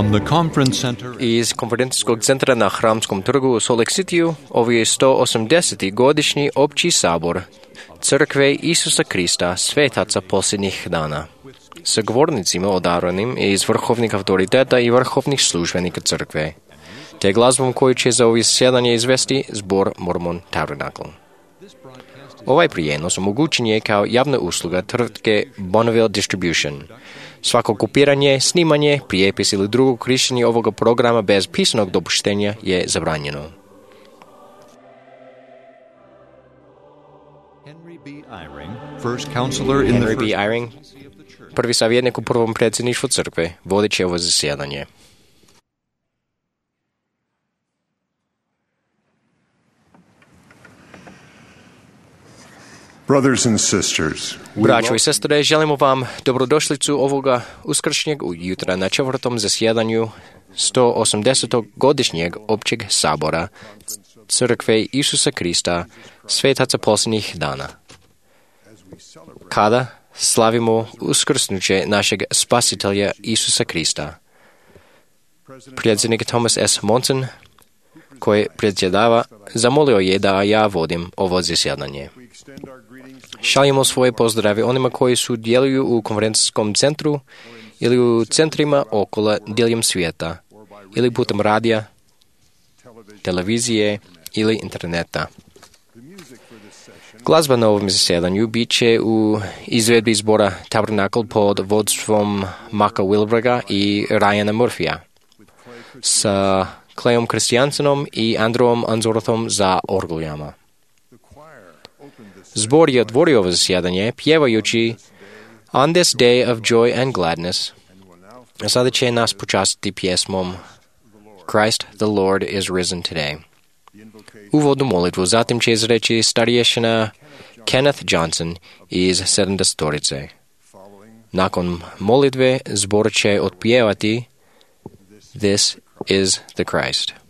From the conference center Iz konferencijskog centra na Hramskom trgu u Salt Lake Cityu ovo je 180. godišnji opći sabor Crkve Isusa Krista svetaca posljednjih dana. Sa govornicima odabranim iz vrhovnih autoriteta i vrhovnih službenika crkve, te glazbom koju će za ovo zasjedanje izvesti zbor Mormon Tabernacle. Ovaj prijenos omogućen je kao javna usluga tvrtke Bonneville Distribution. Svako kopiranje, snimanje, prijepis ili drugo korištenje ovoga programa bez pisanog dopuštenja je zabranjeno. Henry B. Eyring, first counselor in Henry B. Eyring, prvi savjetnik u prvom predsjedništvu crkve, vodit će ovo zasjedanje. Brothers and sisters, Braćo i sestre, želimo vam dobrodošlicu ovoga uskršnjeg jutra na četvrtom zasjedanju 180. godišnjeg općeg sabora Crkve Isusa Krista, svetaca posljednjih dana. Kada slavimo uskrsnuće našeg spasitelja Isusa Krista, predsjednik Thomas S. Monson, koji predsjedava, zamolio je da ja vodim ovo zasjedanje. Šaljemo svoje pozdrave onima koji sudjeluju u konferencijskom centru ili u centrima okolo diljem svijeta, ili putem radija, televizije ili interneta. Glazba na ovom zasjedanju bit će u izvedbi zbora Tabernacle pod vodstvom Maka Wilberga i Ryana Murphya, sa Clayom Christiansenom i Andrewom Anzorthom za orguljama. Zbor je otvorio ovo zasjedanje pjevajući On this day of joy and gladness. A sada će nas počastiti pjesmom Christ the Lord is risen today. Uvodnu molitvu zatim će izreći starješina Kenneth Johnson iz 70-torice. Nakon molitve zbor će otpjevati This is the Christ.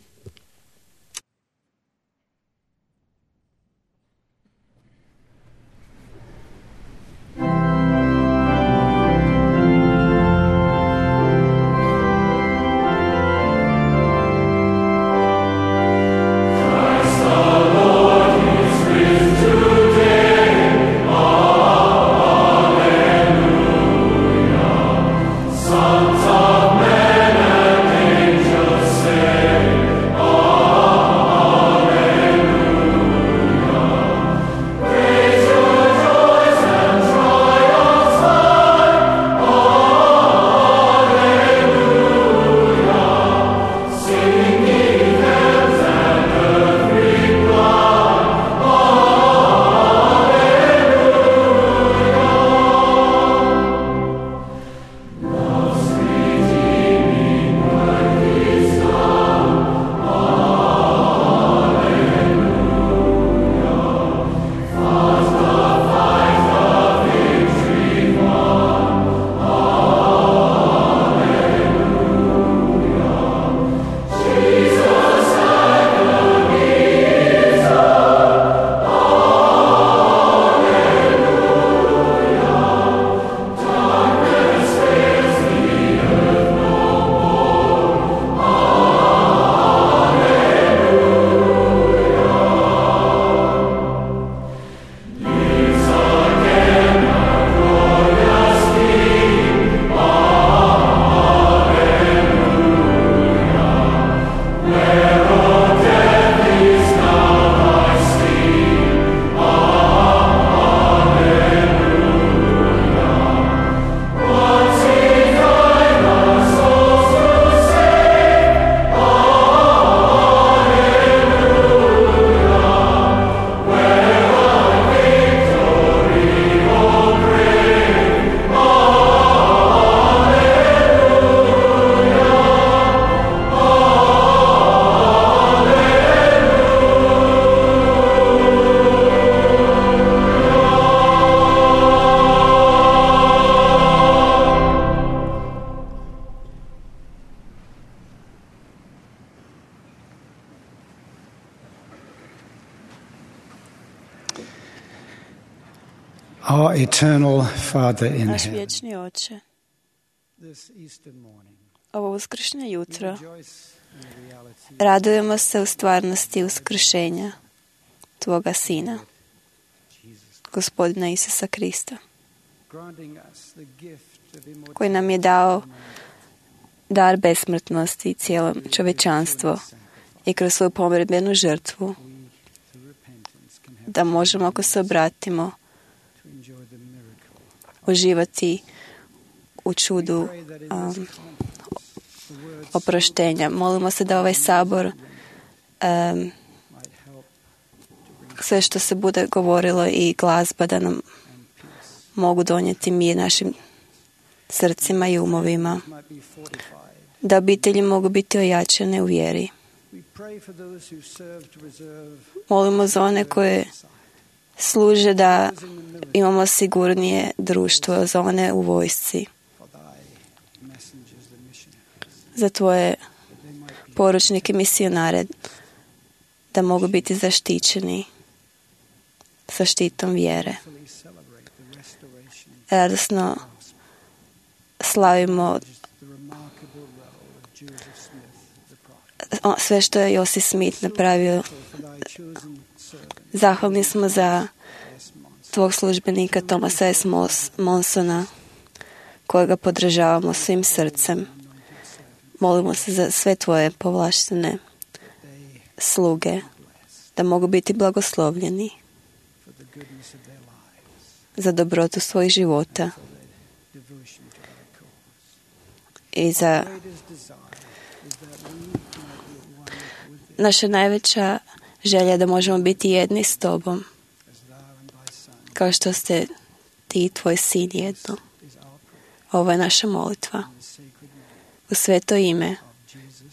Our eternal Father in Naš heaven, vječni Oče, this Easter morning, ovo uskršnje jutro radujemo se u stvarnosti uskršenja Tvoga Sina, Gospodina Isusa Krista, koji nam je dao dar besmrtnosti cijelom čovječanstvu i kroz svoju pomirbenu žrtvu da možemo, ako se obratimo, uživati u čudu oproštenja. Molimo se da ovaj sabor, sve što se bude govorilo i glazba, da nam mogu donijeti mir našim srcima i umovima, da obitelji mogu biti ojačane u vjeri. Molimo za one koje služe da imamo sigurnije društvo, za one u vojsci, za Tvoje poručnike, misionare, da mogu biti zaštićeni sa štitom vjere. Radosno slavimo sve što je Joseph Smith napravio. Zahvalni smo za Tvog službenika Thomasa S. Monsona, kojega podržavamo svim srcem. Molimo se za sve Tvoje povlaštene sluge, da mogu biti blagoslovljeni za dobrotu svojih života i za naša najveća želja da možemo biti jedni s Tobom, kao što ste Ti i Tvoj Sin jedno. Ovo je naša molitva u sveto ime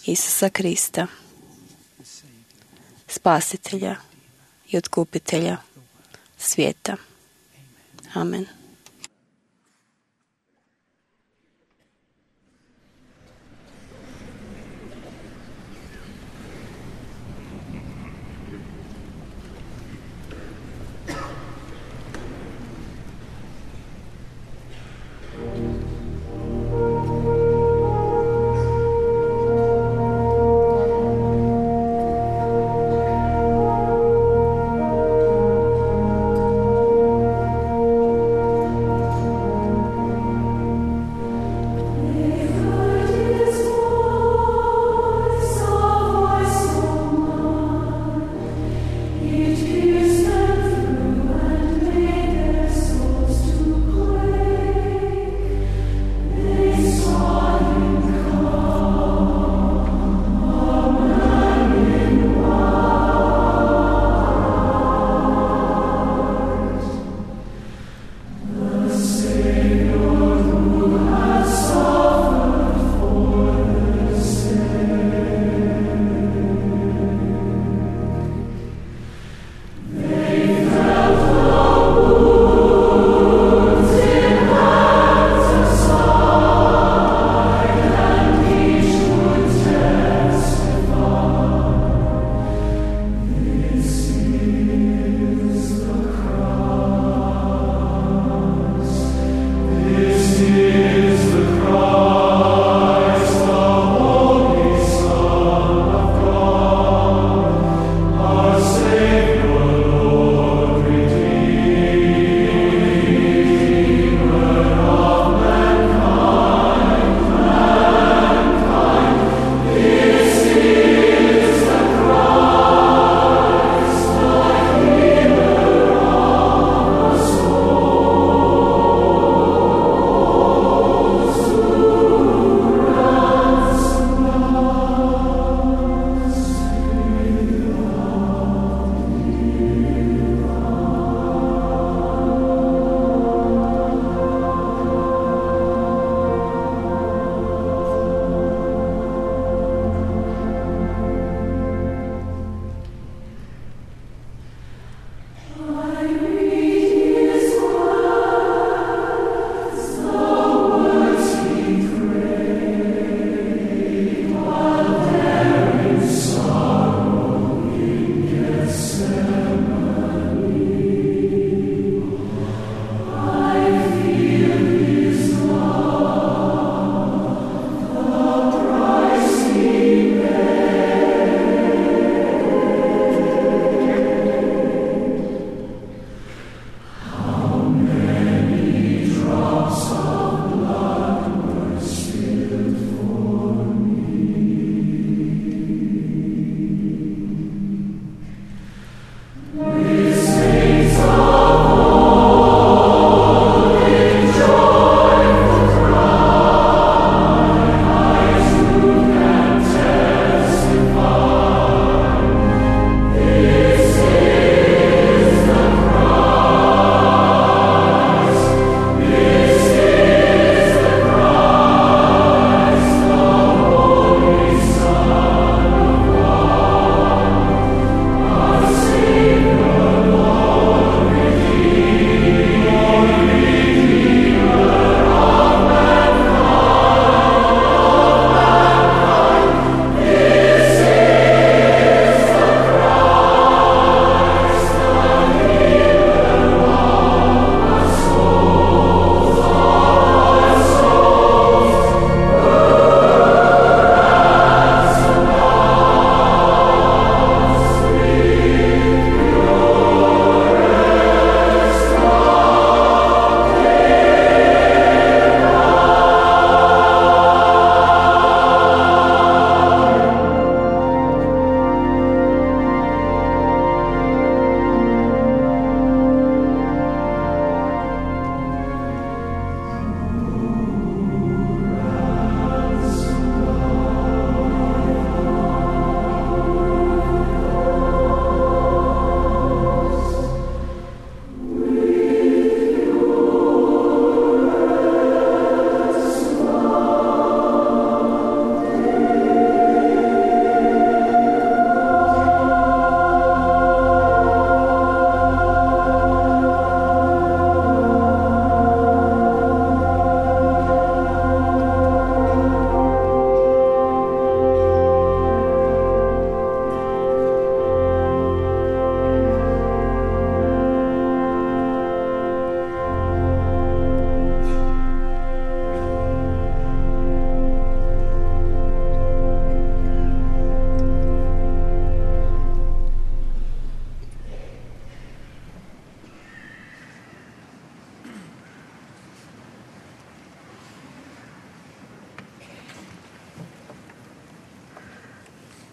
Isusa Krista, Spasitelja i Otkupitelja svijeta. Amen.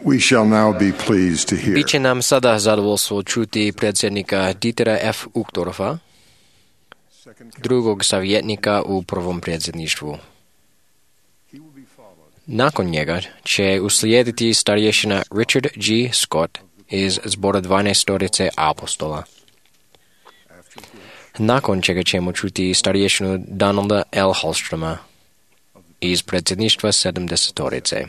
We shall now be pleased to hear Biće nam sada zadovoljstvo čuti predsjednika Dietera F. Uchtdorfa, drugog savjetnika u prvom predsjedništvu. Nakon njega će uslijediti starješina Richard G. Scott iz zbora 12 apostola. Nakon čega ćemo čuti starješinu Donalda L. Hallstroma iz predsjedništva 70.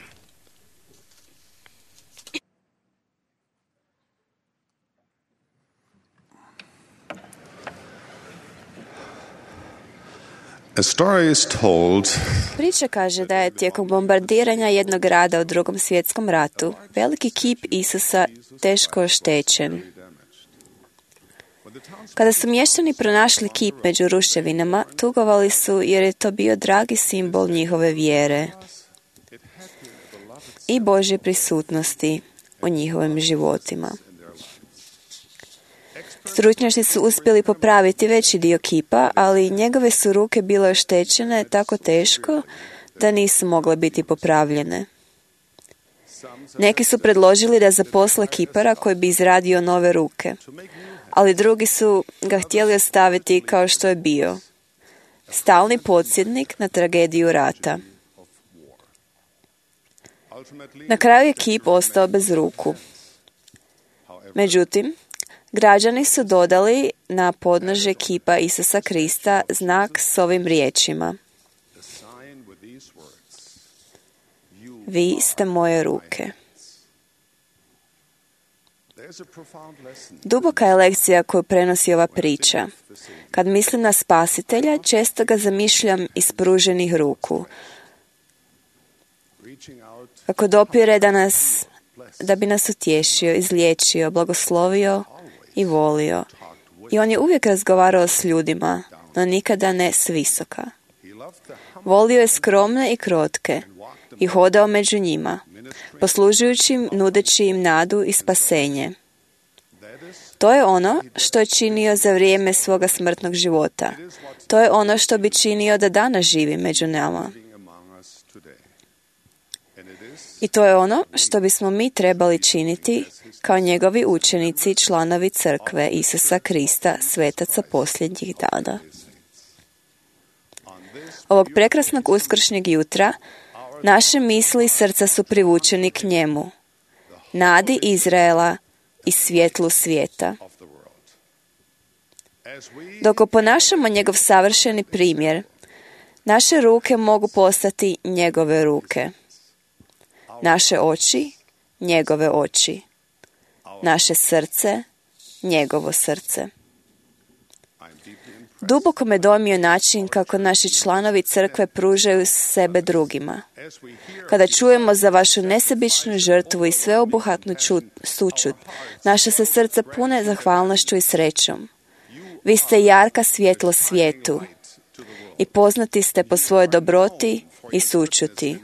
A story is told Priča kaže da je tijekom bombardiranja jednog grada u Drugom svjetskom ratu veliki kip Isusa teško oštećen. Kada su mještani pronašli kip među ruševinama, tugovali su jer je to bio dragi simbol njihove vjere i Božje prisutnosti u njihovim životima. Stručnjaci su uspjeli popraviti veći dio kipa, ali njegove su ruke bile oštećene tako teško da nisu mogle biti popravljene. Neki su predložili da zaposle kipara koji bi izradio nove ruke, ali drugi su ga htjeli ostaviti kao što je bio. Stalni podsjetnik na tragediju rata. Na kraju je kip ostao bez ruku. Međutim, građani su dodali na podnožje kipa Isusa Krista znak s ovim riječima: Vi ste moje ruke. Duboka je lekcija koju prenosi ova priča. Kad mislim na Spasitelja, često ga zamišljam ispruženih ruku. Kako dopire da bi nas utješio, izliječio, blagoslovio i volio. I on je uvijek razgovarao s ljudima, no nikada ne s visoka. Volio je skromne i krotke i hodao među njima, poslužujući im, nudeći im nadu i spasenje. To je ono što je činio za vrijeme svoga smrtnog života. To je ono što bi činio da danas živi među nama. I to je ono što bismo mi trebali činiti kao njegovi učenici i članovi crkve Isusa Krista, svetaca posljednjih dana. Ovog prekrasnog uskršnjeg jutra naše misli i srca su privučeni k njemu, nadi Izraela i svjetlu svijeta. Dok oponašamo njegov savršeni primjer, naše ruke mogu postati njegove ruke. Naše oči, njegove oči. Naše srce, njegovo srce. Duboko me dojmio način kako naši članovi crkve pružaju sebe drugima. Kada čujemo za vašu nesebičnu žrtvu i sveobuhvatnu sućut, naša se srca pune zahvalnošću i srećom. Vi ste jarka svjetlo svijetu i poznati ste po svojoj dobroti i sućuti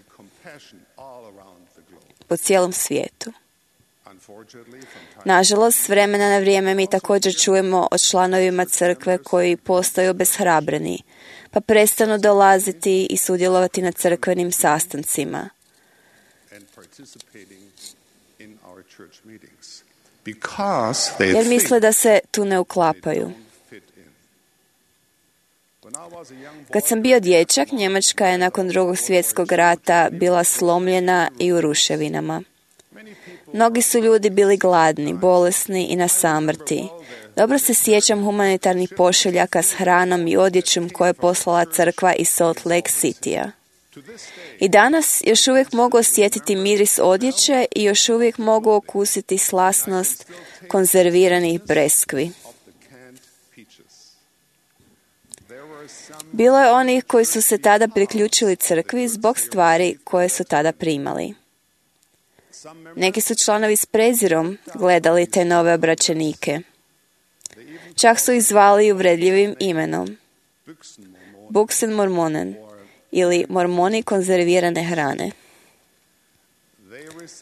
po cijelom svijetu. Nažalost, s vremena na vrijeme mi također čujemo o članovima crkve koji postaju obeshrabreni, pa prestanu dolaziti i sudjelovati na crkvenim sastancima. Jer misle da se tu ne uklapaju. Kad sam bio dječak, Njemačka je nakon Drugog svjetskog rata bila slomljena i u ruševinama. Mnogi su ljudi bili gladni, bolesni i na samrti. Dobro se sjećam humanitarnih pošiljaka s hranom i odjećom koje je poslala crkva iz Salt Lake Citya. I danas još uvijek mogu osjetiti miris odjeće i još uvijek mogu okusiti slasnost konzerviranih breskvi. Bilo je onih koji su se tada priključili crkvi zbog stvari koje su tada primali. Neki su članovi s prezirom gledali te nove obraćenike. Čak su ih zvali uvredljivim imenom. Buchsenmormonen ili mormoni konzervirane hrane.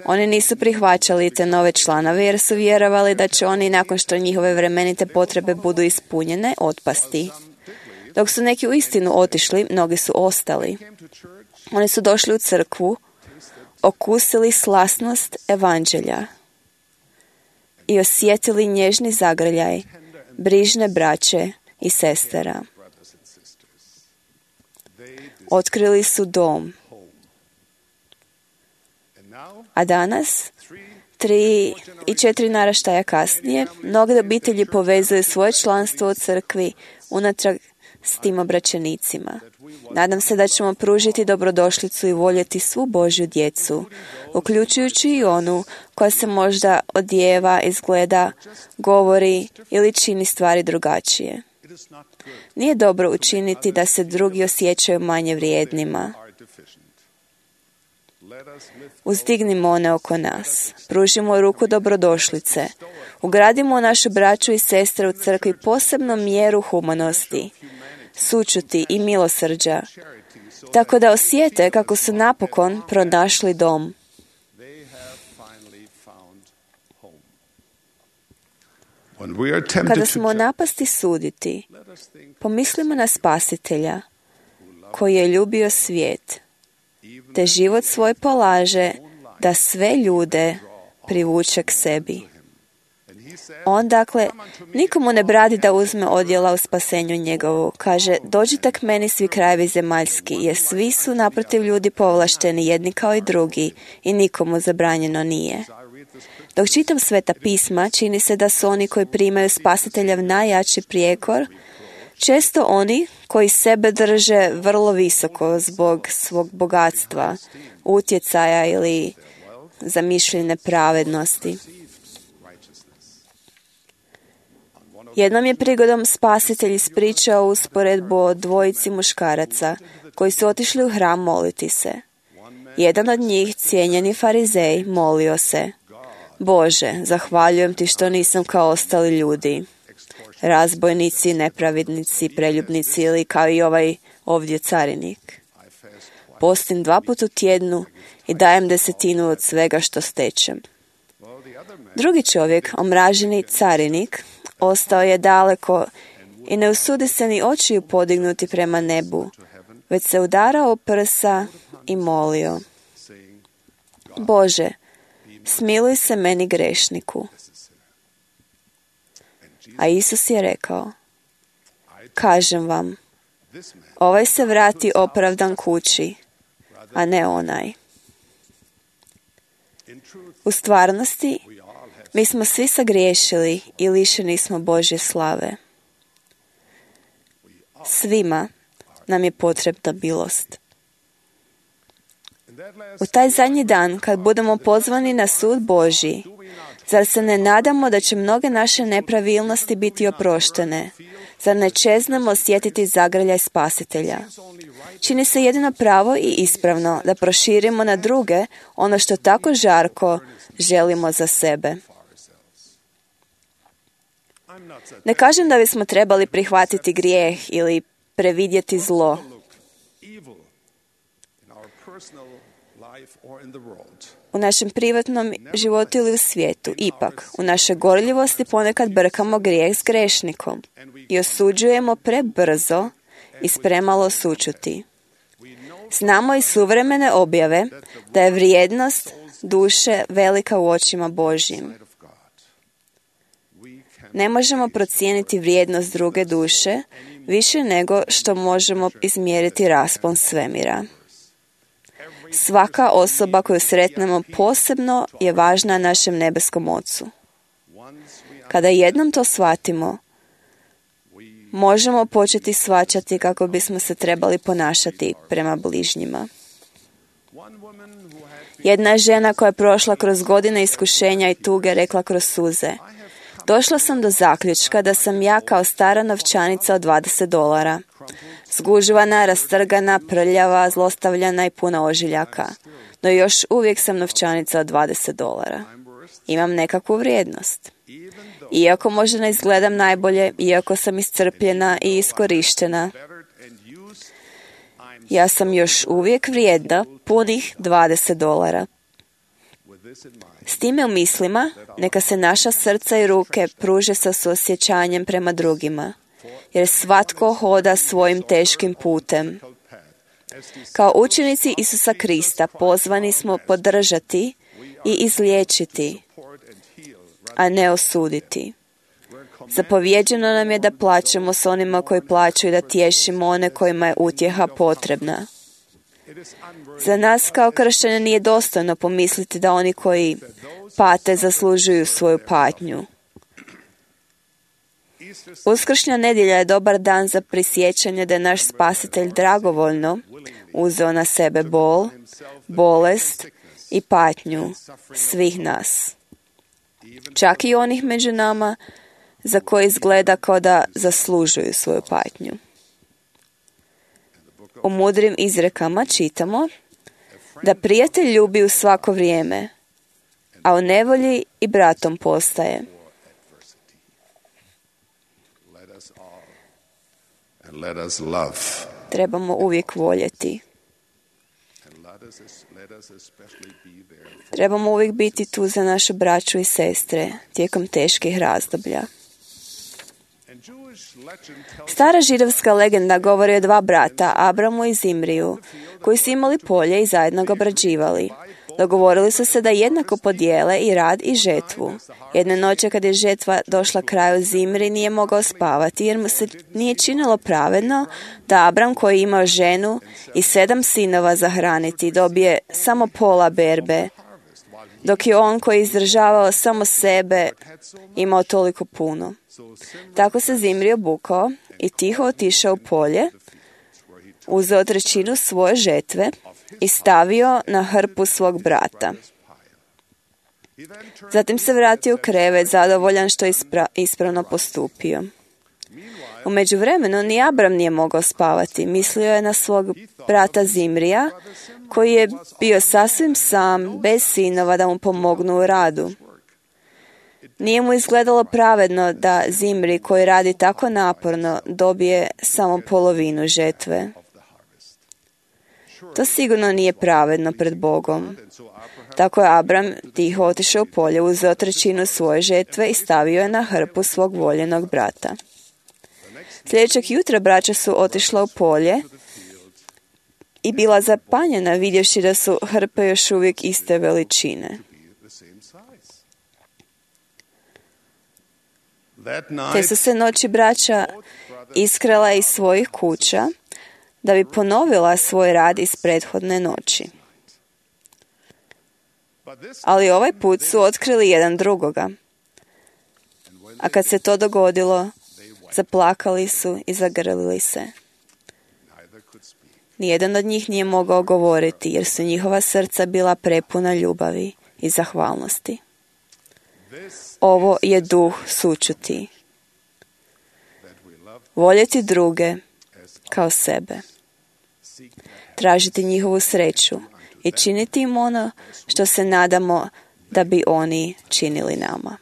Oni nisu prihvaćali te nove članove jer su vjerovali da će oni nakon što njihove vremenite potrebe budu ispunjene otpasti. Dok su neki uistinu otišli, mnogi su ostali. Oni su došli u crkvu, okusili slasnost evanđelja i osjetili nježni zagrljaj brižne braće i sestara. Otkrili su dom. A danas, 3 i 4 naraštaja kasnije, mnoge obitelji povezuju svoje članstvo u crkvi unatrag s tim obraćenicima. Nadam se da ćemo pružiti dobrodošlicu i voljeti svu Božju djecu, uključujući i onu koja se možda odjeva, izgleda, govori ili čini stvari drugačije. Nije dobro učiniti da se drugi osjećaju manje vrijednima. Uzdignimo one oko nas, pružimo ruku dobrodošlice, ugradimo u našu braću i sestre u crkvi posebnu mjeru humanosti, sućuti i milosrđa, tako da osjete kako su napokon pronašli dom. Kada smo napasti suditi, pomislimo na Spasitelja, koji je ljubio svijet, te život svoj polaže da sve ljude privuče k sebi. On, dakle, nikomu ne bradi da uzme odjela u spasenju njegovu. Kaže, dođite k meni svi krajevi zemaljski, jer svi su naprotiv ljudi povlašteni, jedni kao i drugi, i nikomu zabranjeno nije. Dok čitam Sveta pisma, čini se da su oni koji primaju Spasiteljev najjači prijekor, često oni koji sebe drže vrlo visoko zbog svog bogatstva, utjecaja ili zamišljene pravednosti. Jednom je prigodom Spasitelj ispričao usporedbu o dvojici muškaraca koji su otišli u hram moliti se. Jedan od njih, cijenjeni farizej, molio se: Bože, zahvaljujem ti što nisam kao ostali ljudi, razbojnici, nepravednici, preljubnici ili kao i ovaj ovdje carinik. Postim 2 puta u tjednu i dajem 10% od svega što stečem. Drugi čovjek, omraženi carinik, ostao je daleko i ne usudi se ni očiju podignuti prema nebu, već se udarao u prsa i molio: Bože, smiluj se meni grešniku. A Isus je rekao: Kažem vam, ovaj se vrati opravdan kući, a ne onaj. U stvarnosti, mi smo svi sagriješili i lišeni smo Božje slave. Svima nam je potrebna milost. U taj zadnji dan, kad budemo pozvani na sud Božji, zar se ne nadamo da će mnoge naše nepravilnosti biti oproštene? Zar ne čeznemo osjetiti zagrljaj Spasitelja? Čini se jedino pravo i ispravno da proširimo na druge ono što tako žarko želimo za sebe. Ne kažem da bismo trebali prihvatiti grijeh ili previdjeti zlo. U našem privatnom životu ili u svijetu, ipak, u našoj gorljivosti ponekad brkamo grijeh s grešnikom i osuđujemo prebrzo i s premalo sućuti. Znamo iz suvremene objave da je vrijednost duše velika u očima Božjim. Ne možemo procijeniti vrijednost druge duše više nego što možemo izmjeriti raspon svemira. Svaka osoba koju sretnemo posebno je važna našem nebeskom Ocu. Kada jednom to shvatimo, možemo početi shvaćati kako bismo se trebali ponašati prema bližnjima. Jedna žena koja je prošla kroz godine iskušenja i tuge rekla kroz suze: Došla sam do zaključka da sam ja kao stara novčanica od $20. Zgužvana, rastrgana, prljava, zlostavljana i puna ožiljaka. No još uvijek sam novčanica od $20. Imam nekakvu vrijednost. Iako možda ne izgledam najbolje, iako sam iscrpljena i iskorištena, ja sam još uvijek vrijedna punih $20. S time u mislima, neka se naša srca i ruke pruže sa suosjećanjem prema drugima, jer svatko hoda svojim teškim putem. Kao učenici Isusa Krista pozvani smo podržati i izliječiti, a ne osuditi. Zapovjeđeno nam je da plačemo s onima koji plaću i da tješimo one kojima je utjeha potrebna. Za nas kao kršćane nije dostojno pomisliti da oni koji pate zaslužuju svoju patnju. Uskršnja nedjelja je dobar dan za prisjećanje da je naš Spasitelj dragovoljno uzeo na sebe bol, bolest i patnju svih nas. Čak i onih među nama za koje izgleda kao da zaslužuju svoju patnju. U mudrim izrekama čitamo da prijatelj ljubi u svako vrijeme, a u nevolji i bratom postaje. Trebamo uvijek voljeti. Trebamo uvijek biti tu za našu braću i sestre tijekom teških razdoblja. Stara židovska legenda govori o dva brata, Abramu i Zimriju, koji su imali polje i zajedno ga obrađivali. Dogovorili su se da jednako podijele i rad i žetvu. Jedne noći kad je žetva došla kraju, Zimri nije mogao spavati jer mu se nije činilo pravedno da Abram, koji je imao ženu i 7 sinova za hraniti, dobije samo pola berbe, dok je on koji je izdržavao samo sebe imao toliko puno. Tako se Zimri obukao i tiho otišao u polje, uzeo 1/3 svoje žetve i stavio na hrpu svog brata. Zatim se vratio u krevet, zadovoljan što je ispravno postupio. U međuvremenu ni Abram nije mogao spavati. Mislio je na svog brata Zimrija, koji je bio sasvim sam, bez sinova da mu pomognu u radu. Nije mu izgledalo pravedno da Zimri, koji radi tako naporno, dobije samo polovinu žetve. To sigurno nije pravedno pred Bogom. Tako je Abram tiho otišao u polje, uzeo 1/3 svoje žetve i stavio je na hrpu svog voljenog brata. Sljedećeg jutra braća su otišla u polje i bila zapanjena vidjevši da su hrpe još uvijek iste veličine. Te su se noći braća iskrala iz svojih kuća da bi ponovila svoj rad iz prethodne noći. Ali ovaj put su otkrili jedan drugoga. A kad se to dogodilo, zaplakali su i zagrlili se. Nijedan od njih nije mogao govoriti jer su njihova srca bila prepuna ljubavi i zahvalnosti. Ovo je duh sućuti. Voljeti druge kao sebe. Tražiti njihovu sreću i činiti im ono što se nadamo da bi oni činili nama.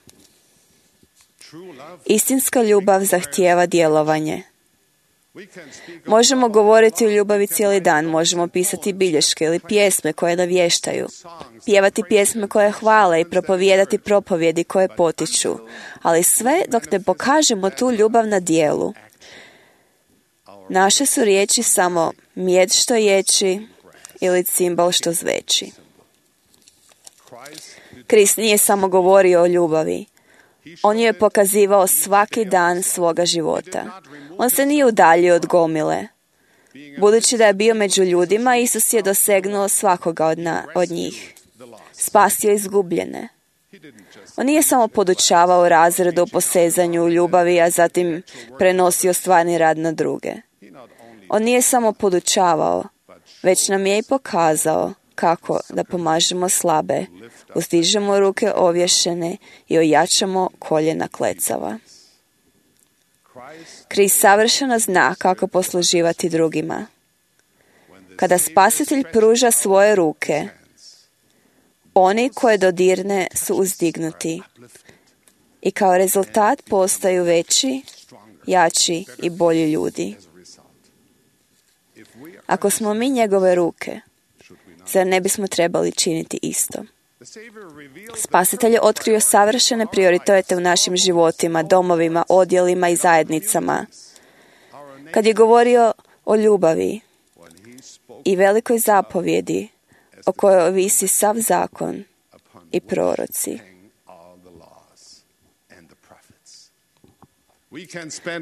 Istinska ljubav zahtijeva djelovanje. Možemo govoriti o ljubavi cijeli dan, možemo pisati bilješke ili pjesme koje navještaju, pjevati pjesme koje hvale i propovijedati propovjedi koje potiču, ali sve dok ne pokažemo tu ljubav na djelu. Naše su riječi samo mjed što ječi ili cimbal što zveči. Krist nije samo govorio o ljubavi. On ju je pokazivao svaki dan svoga života. On se nije udaljio od gomile. Budući da je bio među ljudima, Isus je dosegnuo svakoga od njih. Spasio izgubljene. On nije samo podučavao razredu o posezanju u ljubavi, a zatim prenosio stvarni rad na druge. On nije samo podučavao, već nam je i pokazao kako da pomažemo slabe, uzdižemo ruke ovješene i ojačamo koljena klecava. Krist savršeno zna kako posluživati drugima. Kada Spasitelj pruža svoje ruke, oni koje dodirne su uzdignuti i kao rezultat postaju veći, jači i bolji ljudi. Ako smo mi njegove ruke, zar ne bismo trebali činiti isto? Spasitelj je otkrio savršene prioritete u našim životima, domovima, odjelima i zajednicama. Kad je govorio o ljubavi, i velikoj zapovjedi o kojoj ovisi sav zakon i proroci.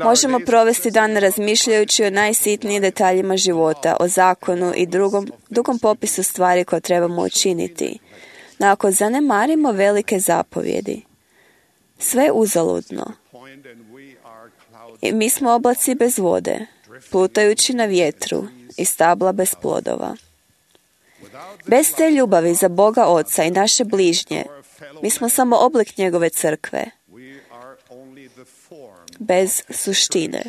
Možemo provesti dan razmišljajući o najsitnijim detaljima života, o zakonu i dugom popisu stvari koje trebamo učiniti. No ako zanemarimo velike zapovjedi, sve je uzaludno. I mi smo oblaci bez vode, plutajući na vjetru i stabla bez plodova. Bez te ljubavi za Boga Oca i naše bližnje, mi smo samo oblik njegove crkve, bez suštine.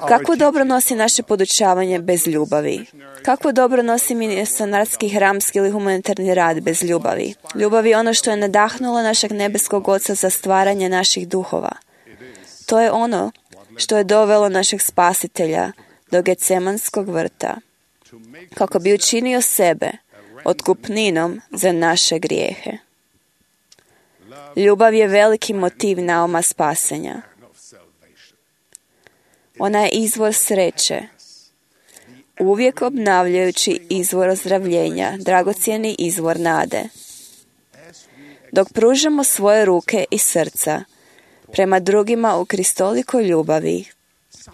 Kako dobro nosi naše podučavanje bez ljubavi? Kako dobro nosi misionarski, hramski ili humanitarni rad bez ljubavi? Ljubav je ono što je nadahnulo našeg nebeskog Oca za stvaranje naših duhova. To je ono što je dovelo našeg Spasitelja do Getsemanskog vrta, kako bi učinio sebe otkupninom za naše grijehe. Ljubav je veliki motiv nauma spasenja. Ona je izvor sreće, uvijek obnavljajući izvor ozdravljenja, dragocjeni izvor nade. Dok pružamo svoje ruke i srca prema drugima u kristolikoj ljubavi,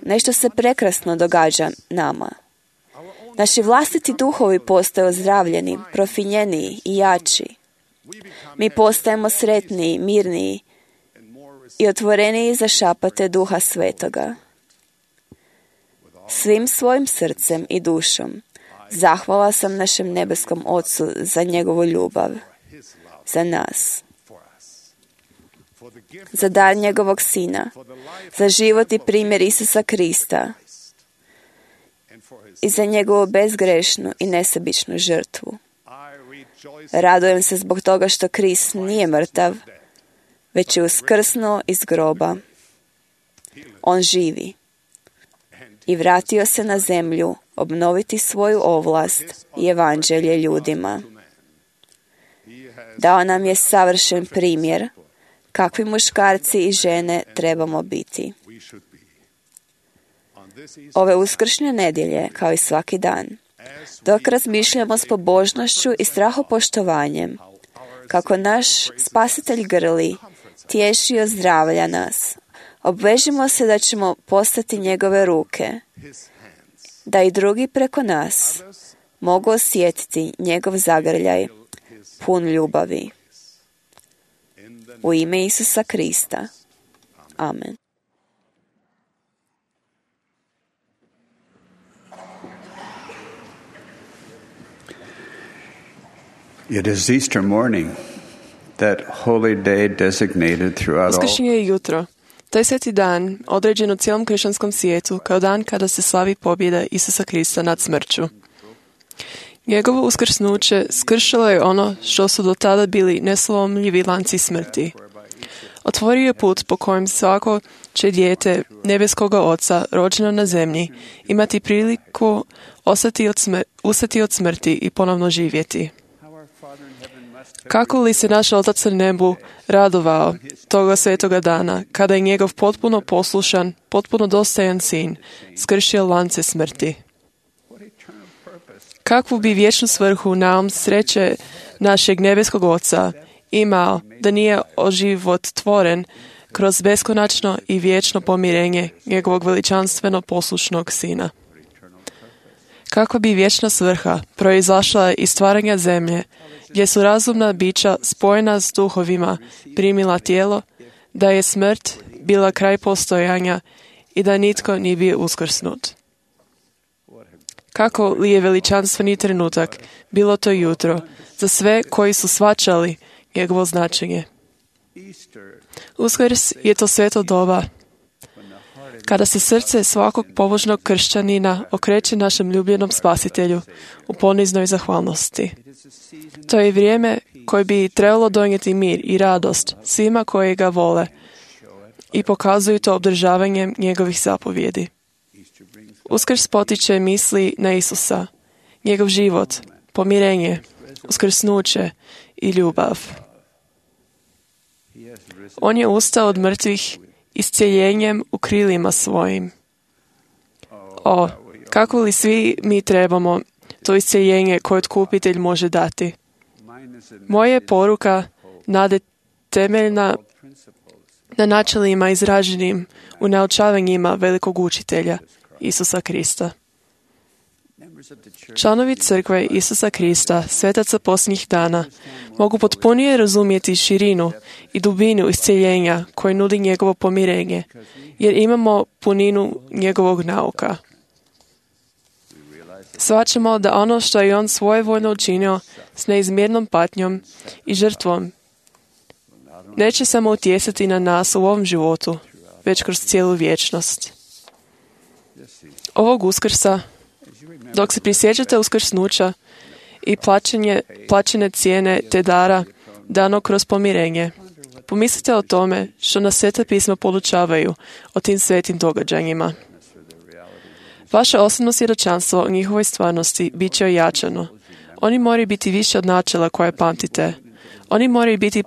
nešto se prekrasno događa nama. Naši vlastiti duhovi postaju ozdravljeni, profinjeniji i jači. Mi postajemo sretniji, mirniji i otvoreniji za šapate Duha Svetoga. Svim svojim srcem i dušom zahvala sam našem nebeskom Ocu za njegovu ljubav, za nas, za dar njegovog Sina, za život i primjer Isusa Krista i za njegovu bezgrešnu i nesebičnu žrtvu. Radujem se zbog toga što Krist nije mrtav, već je uskrsnuo iz groba. On živi i vratio se na zemlju obnoviti svoju ovlast i evanđelje ljudima. Dao nam je savršen primjer kakvi muškarci i žene trebamo biti. Ove uskršnje nedjelje, kao i svaki dan, dok razmišljamo s pobožnošću i strahopoštovanjem, kako naš Spasitelj grli, tješi i ozdravlja nas, obvežimo se da ćemo postati njegove ruke, da i drugi preko nas mogu osjetiti njegov zagrljaj, pun ljubavi. U ime Isusa Krista. Amen. It is Easter morning, that holy day designated throughout all. Uskršnje je jutro. Taj sveti dan određen u cijelom kršćanskom svijetu kao dan kada se slavi pobjeda Isusa Krista nad smrću. Njegovo uskrsnuće skršilo je ono što su do tada bili neslomljivi lanci smrti. Otvorio je put po kojem svako će dijete nebeskoga Oca rođeno na zemlji imati priliku ustati od smrti i ponovno živjeti. Kako li se naš Otac na nebu radovao toga svetoga dana, kada je njegov potpuno poslušan, potpuno dostojan sin skršio lance smrti. Kakvu bi vječnu svrhu naum sreće našeg nebeskog Oca imao da nije oživotvoren kroz beskonačno i vječno pomirenje njegovog veličanstveno poslušnog sina. Kakva bi vječna svrha proizašla iz stvaranja zemlje, gdje su razumna bića spojena s duhovima primila tijelo, da je smrt bila kraj postojanja i da nitko nije bio uskrsnut. Kako li je veličanstveni trenutak bilo to jutro za sve koji su shvaćali njegovo značenje. Uskrs je to sveto doba kada se srce svakog pobožnog kršćanina okreće našem ljubljenom Spasitelju u poniznoj zahvalnosti. To je vrijeme koje bi trebalo donijeti mir i radost svima koji ga vole i pokazuju to obdržavanjem njegovih zapovjedi. Uskrs potiče misli na Isusa, njegov život, pomirenje, uskrsnuće i ljubav. On je ustao od mrtvih iscijeljenjem u krilima svojim. O, kako li svi mi trebamo to isceljenje koje Otkupitelj može dati. Moja je poruka nade temeljna na načelima izraženim u naučavanjima velikog učitelja, Isusa Krista. Članovi crkve Isusa Krista, svetaca posljednjih dana, mogu potpunije razumjeti širinu i dubinu isceljenja koje nudi njegovo pomirenje, jer imamo puninu njegovog nauka. Shvaćamo da ono što je on svojevoljno učinio s neizmjernom patnjom i žrtvom neće samo utjecati na nas u ovom životu, već kroz cijelu vječnost. Ovog Uskrsa, dok se prisjećate uskrsnuća i plaćene cijene te dara dano kroz pomirenje, pomislite o tome što nas Sveta pisma podučavaju o tim svetim događanjima. Vaše osobno svjedočanstvo o njihovoj stvarnosti bit će ojačano. Oni moraju biti više od načela koje pamtite. Oni moraju biti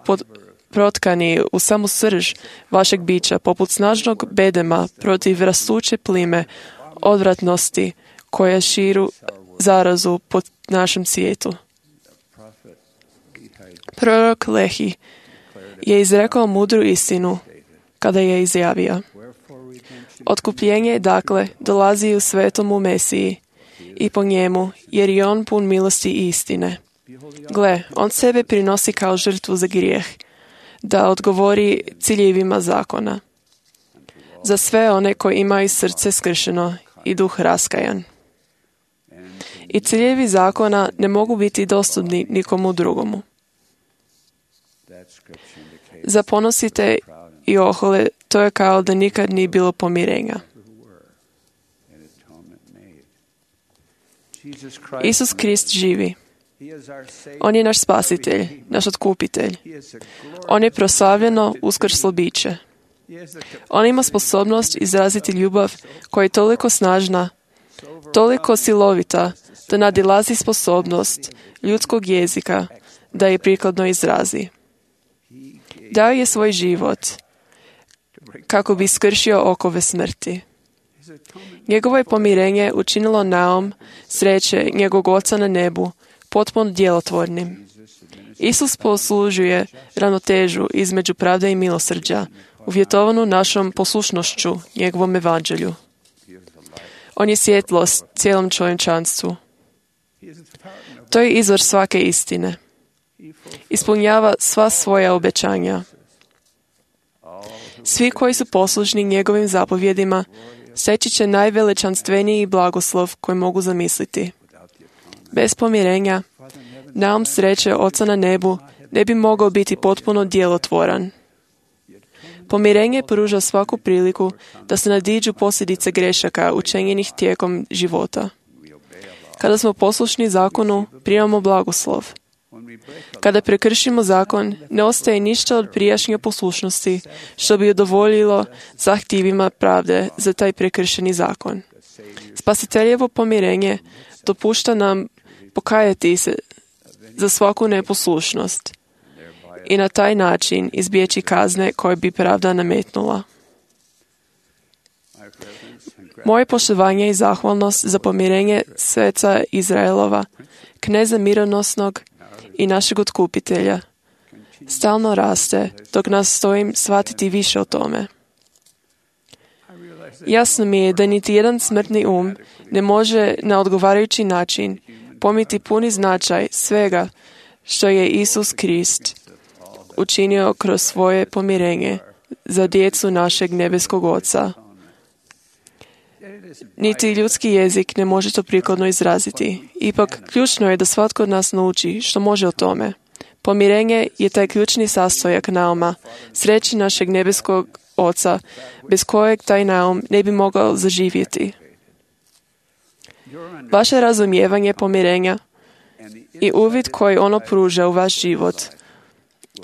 protkani u samu srž vašeg bića, poput snažnog bedema protiv rastuće plime odvratnosti koja širu zarazu po našem svijetu. Prorok Lehi je izrekao mudru istinu kada je izjavio: Otkupljenje, dakle, dolazi u svetomu Mesiji i po njemu, jer je on pun milosti i istine. Gle, on sebe prinosi kao žrtvu za grijeh, da odgovori ciljevima zakona. Za sve one koji imaju srce skršeno i duh raskajan. I ciljevi zakona ne mogu biti dostupni nikomu drugomu. Zaponosite i ohole, to je kao da nikad nije bilo pomirenja. Isus Krist živi. On je naš spasitelj, naš otkupitelj. On je proslavljeno uskrslo biće. On ima sposobnost izraziti ljubav koja je toliko snažna, toliko silovita, da nadilazi sposobnost ljudskog jezika da je prikladno izrazi. Dao je svoj život kako bi skršio okove smrti. Njegovo je pomirenje učinilo naum sreće njegovog Oca na nebu potpuno djelotvornim. Isus poslužuje ravnotežu između pravde i milosrđa, uvjetovanu našom poslušnošću njegovom evanđelju. On je svjetlost cijelom čovječanstvu. To je izvor svake istine. Ispunjava sva svoja obećanja. Svi koji su poslušni njegovim zapovjedima steći će najveličanstveniji blagoslov koji mogu zamisliti. Bez pomirenja, naum sreće Oca na nebu ne bi mogao biti potpuno djelotvoran. Pomirenje pruža svaku priliku da se nadiđu posljedice grešaka učinjenih tijekom života. Kada smo poslušni zakonu, primamo blagoslov. Kada prekršimo zakon, ne ostaje ništa od prijašnje poslušnosti što bi udovoljilo zahtjevima pravde za taj prekršeni zakon. Spasiteljevo pomirenje dopušta nam pokajati se za svaku neposlušnost i na taj način izbjeći kazne koje bi pravda nametnula. Moje poštovanje i zahvalnost za pomirenje sveca Izraelova, kneza mironosnog i našeg otkupitelja, stalno raste dok nas stojim shvatiti više o tome. Jasno mi je da niti jedan smrtni ne može na odgovarajući način pomiti puni značaj svega što je Isus Krist učinio kroz svoje pomirenje za djecu našeg nebeskog Oca. Niti ljudski jezik ne može to prikladno izraziti. Ipak, ključno je da svatko od nas nauči što može o tome. Pomirenje je taj ključni sastojak nauma, sreći našeg nebeskog Oca, bez kojeg taj naum ne bi mogao zaživjeti. Vaše razumijevanje pomirenja i uvid koji ono pruža u vaš život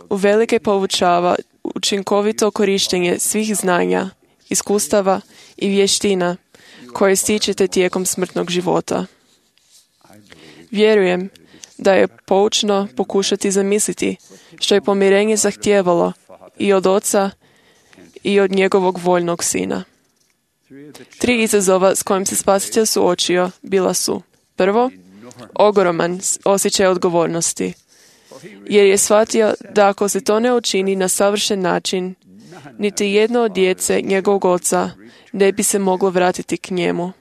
uvelike povučava učinkovito korištenje svih znanja, iskustava i vještina koje stičete tijekom smrtnog života. Vjerujem da je poučno pokušati zamisliti što je pomirenje zahtijevalo i od Oca i od njegovog voljnog Sina. 3 izazova s kojim se Spasitelj suočio bila su: prvo, ogroman osjećaj odgovornosti, jer je shvatio da ako se to ne učini na savršen način, niti jedno od djece njegovog oca ne bi se moglo vratiti k njemu.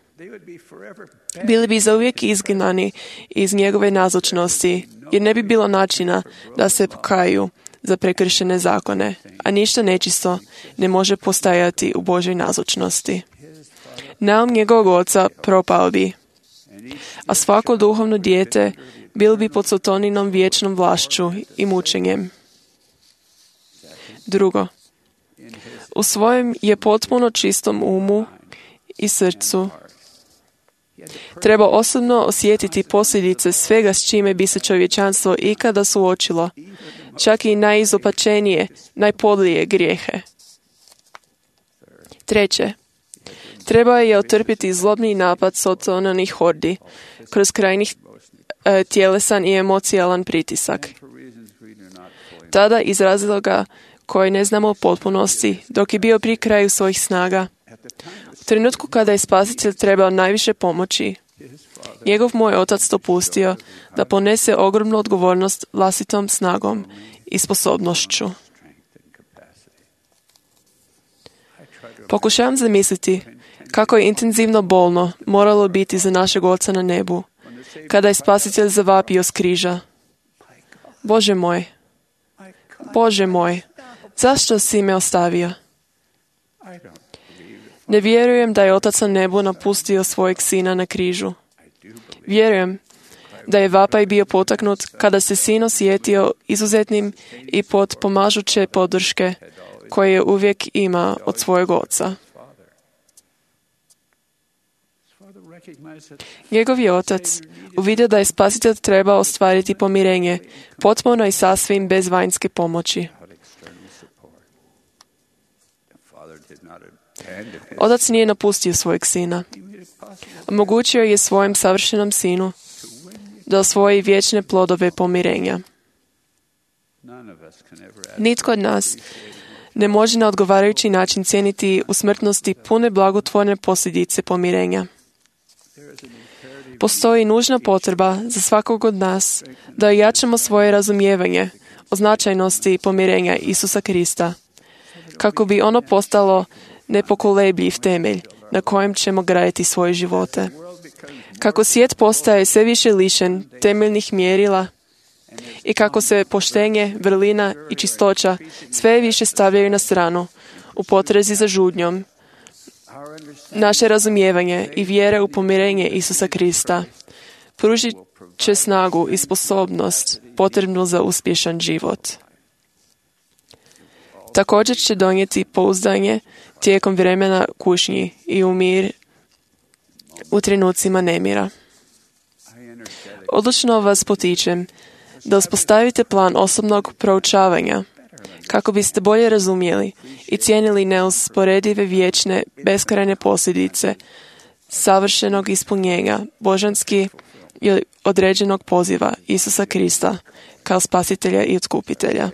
Bili bi zauvijek izgnani iz njegove nazočnosti, jer ne bi bilo načina da se pokaju za prekršene zakone, a ništa nečisto ne može postajati u Božoj nazočnosti. Naum njegovog oca propao bi, a svako duhovno dijete bilo bi pod Sataninom vječnom vlašću i mučenjem. Drugo, u svojem je potpuno čistom umu i srcu treba osobno osjetiti posljedice svega s čime bi se čovječanstvo ikada suočilo, čak i najizopačenije, najpodlije grijehe. Treće, treba je otrpiti zlobni napad Sataninih hordi kroz krajnjih tjelesan i emocijalan pritisak. Tada iz razloga koji ne znamo u potpunosti, dok je bio pri kraju svojih snaga, u trenutku kada je Spasitelj trebao najviše pomoći, njegov moj otac dopustio da ponese ogromnu odgovornost vlastitom snagom i sposobnošću. Pokušavam zamisliti kako je intenzivno bolno moralo biti za našeg Oca na nebu, kada je Spasitelj zavapio s križa: Bože moj, zašto si me ostavio? Ne vjerujem da je Otac na nebu napustio svojeg sina na križu. Vjerujem da je vapaj bio potaknut kada se sin osjetio izuzetnim i pod pomažuće podrške koje je uvijek imao od svojeg oca. Njegov je otac uvidio da je Spasitelj trebao ostvariti pomirenje, potpuno i sasvim bez vanjske pomoći. Otac nije napustio svojeg sina. Omogućio je svojem savršenom sinu da osvoji vječne plodove pomirenja. Nitko od nas ne može na odgovarajući način cijeniti u smrtnosti pune blagotvorne posljedice pomirenja. Postoji nužna potreba za svakog od nas da ojačamo svoje razumijevanje o značajnosti pomirenja Isusa Krista, kako bi ono postalo nepokolebljiv temelj na kojem ćemo graditi svoje živote. Kako svijet postaje sve više lišen temeljnih mjerila i kako se poštenje, vrlina i čistoća sve više stavljaju na stranu u potrezi za žudnjom, naše razumijevanje i vjere u pomirenje Isusa Krista pružit će snagu i sposobnost potrebnu za uspješan život. Također će donijeti pouzdanje tijekom vremena kušnji i u mir u trenucima nemira. Odlučno vas potičem da uspostavite plan osobnog proučavanja kako biste bolje razumjeli i cijenili neusporedive vječne beskrajne posljedice savršenog ispunjenja božanski i određenog poziva Isusa Krista kao spasitelja i otkupitelja.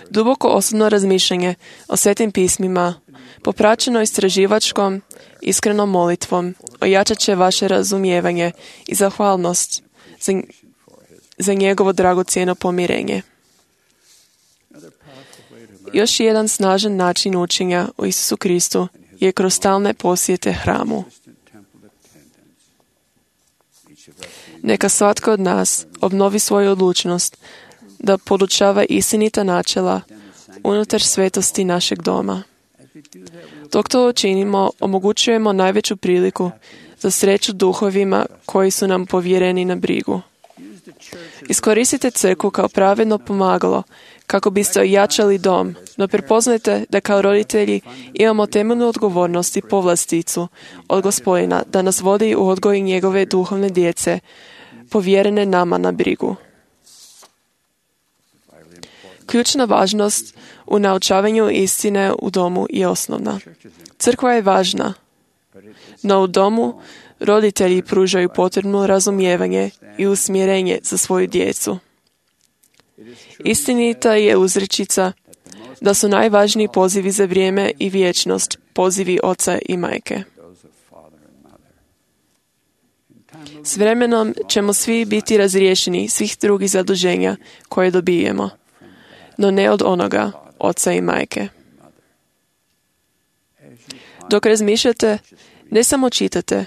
Duboko osobno razmišljanje o svetim pismima, popraćeno istraživačkom, iskrenom molitvom, ojačat će vaše razumijevanje i zahvalnost za njegovo dragocjeno pomirenje. Još jedan snažan način učenja o Isusu Kristu je kroz stalne posjete hramu. Neka svatko od nas obnovi svoju odlučnost da podučava istinita načela unutar svetosti našeg doma. Dok to učinimo, omogućujemo najveću priliku za sreću duhovima koji su nam povjereni na brigu. Iskoristite crkvu kao pravedno pomagalo kako biste ojačali dom, no prepoznajte da kao roditelji imamo temeljnu odgovornost i povlasticu od Gospodina da nas vodi u odgoj njegove duhovne djece, povjerene nama na brigu. Ključna važnost u naučavanju istine u domu je osnovna. Crkva je važna, no u domu roditelji pružaju potrebno razumijevanje i usmjerenje za svoju djecu. Istinita je uzrečica da su najvažniji pozivi za vrijeme i vječnost pozivi oca i majke. S vremenom ćemo svi biti razriješeni svih drugih zaduženja koje dobijemo, no ne od onoga oca i majke. Dok razmišljate, ne samo čitate,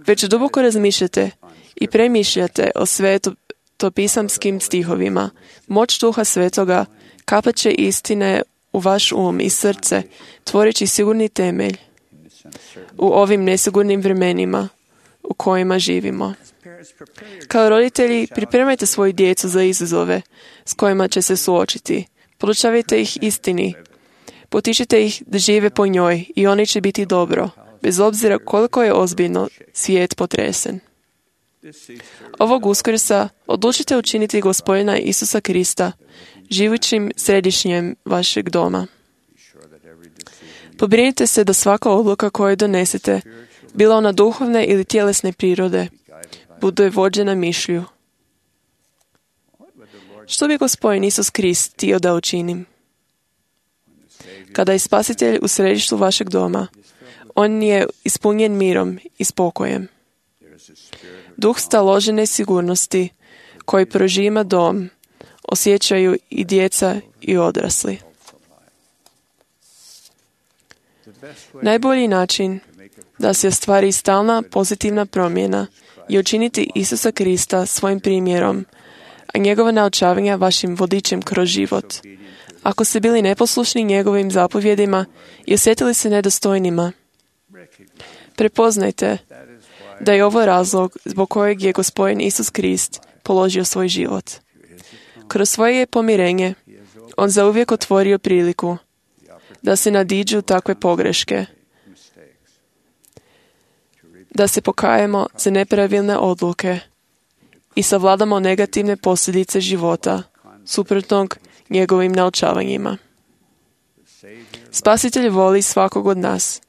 već duboko razmišljate i premišljate o svetopisamskim stihovima. Moć Duha Svetoga kapat će istine u vaš um i srce, tvorići sigurni temelj u ovim nesigurnim vremenima u kojima živimo. Kao roditelji, pripremajte svoju djecu za izazove s kojima će se suočiti. Podučavajte ih istini. Potičite ih da žive po njoj i oni će biti dobro, bez obzira koliko je ozbiljno svijet potresen. Ovog Uskrsa odlučite učiniti Gospodina Isusa Krista živućim središnjem vašeg doma. Pobrinite se da svaka odluka koju donesete, bila ona duhovne ili tjelesne prirode, bude vođena mišlju. Što bi Gospodin Isus Krist htio da učinim? Kada je Spasitelj u središtu vašeg doma, on je ispunjen mirom i spokojem. Duh staložene sigurnosti koji prožima dom osjećaju i djeca i odrasli. Najbolji način da se ostvari stalna pozitivna promjena je učiniti Isusa Krista svojim primjerom, a njegova naučavanja vašim vodičem kroz život. Ako ste bili neposlušni njegovim zapovjedima i osjetili se nedostojnima, prepoznajte da je ovo razlog zbog kojeg je Gospodin Isus Krist položio svoj život. Kroz svoje pomirenje, on zauvijek otvorio priliku da se nadiđu takve pogreške, da se pokajemo za nepravilne odluke i savladamo negativne posljedice života, suprotnog njegovim naučavanjima. Spasitelj voli svakog od nas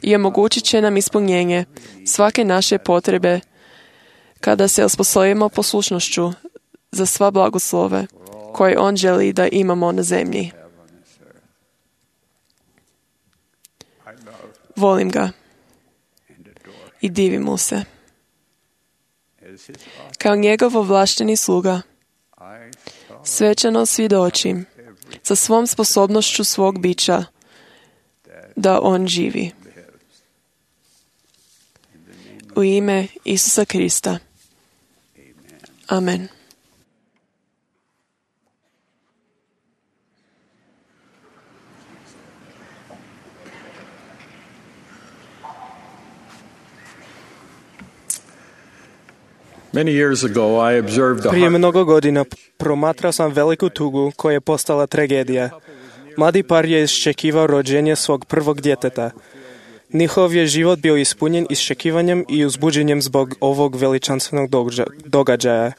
i omogućit će nam ispunjenje svake naše potrebe kada se osposobimo poslušnošću za sva blagoslove koje on želi da imamo na zemlji. Volim ga i divim mu se. Kao njegov ovlašteni sluga, svečano svjedočim sa svom sposobnošću svog bića da on živi. U ime Isusa Krista. Amen. Prije mnogo godina promatrao sam veliku tugu koja je postala tragedija. Mladi par je iščekivao rođenje svog prvog djeteta. Njihov je život bio ispunjen iščekivanjem i uzbuđenjem zbog ovog veličanstvenog događaja.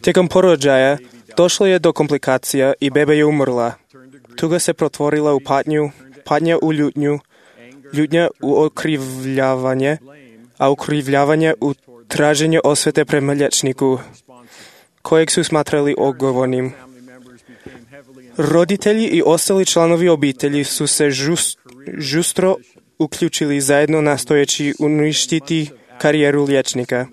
Tijekom porođaja došlo je do komplikacija i beba je umrla. Tuga se pretvorila u patnju, patnja u ljutnju, ljutnja u okrivljavanje, a okrivljavanje u traženje osvete prema liječniku, kojeg su smatrali odgovornim. Roditelji i ostali članovi obitelji su se žustro uključili zajedno nastojeći uništiti karijeru liječnika.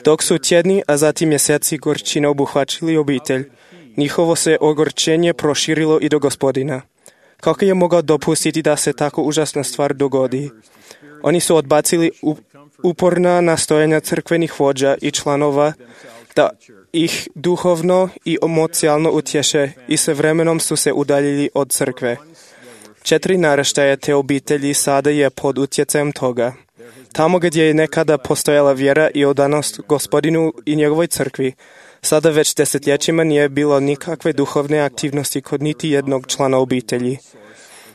Dok su tjedni, a zatim mjeseci gorčina obuhvaćili obitelj, njihovo se ogorčenje proširilo i do Gospodina. Kako je mogao dopustiti da se tako užasna stvar dogodi? Oni su odbacili uporna nastojanja crkvenih vođa i članova da ih duhovno i emocionalno utješe i s vremenom su se udaljili od crkve. 4 naraštaja te obitelji sada je pod utjecajem toga. Tamo gdje je nekada postojala vjera i odanost Gospodinu i njegovoj crkvi, sada već desetljećima nije bilo nikakve duhovne aktivnosti kod niti jednog člana obitelji.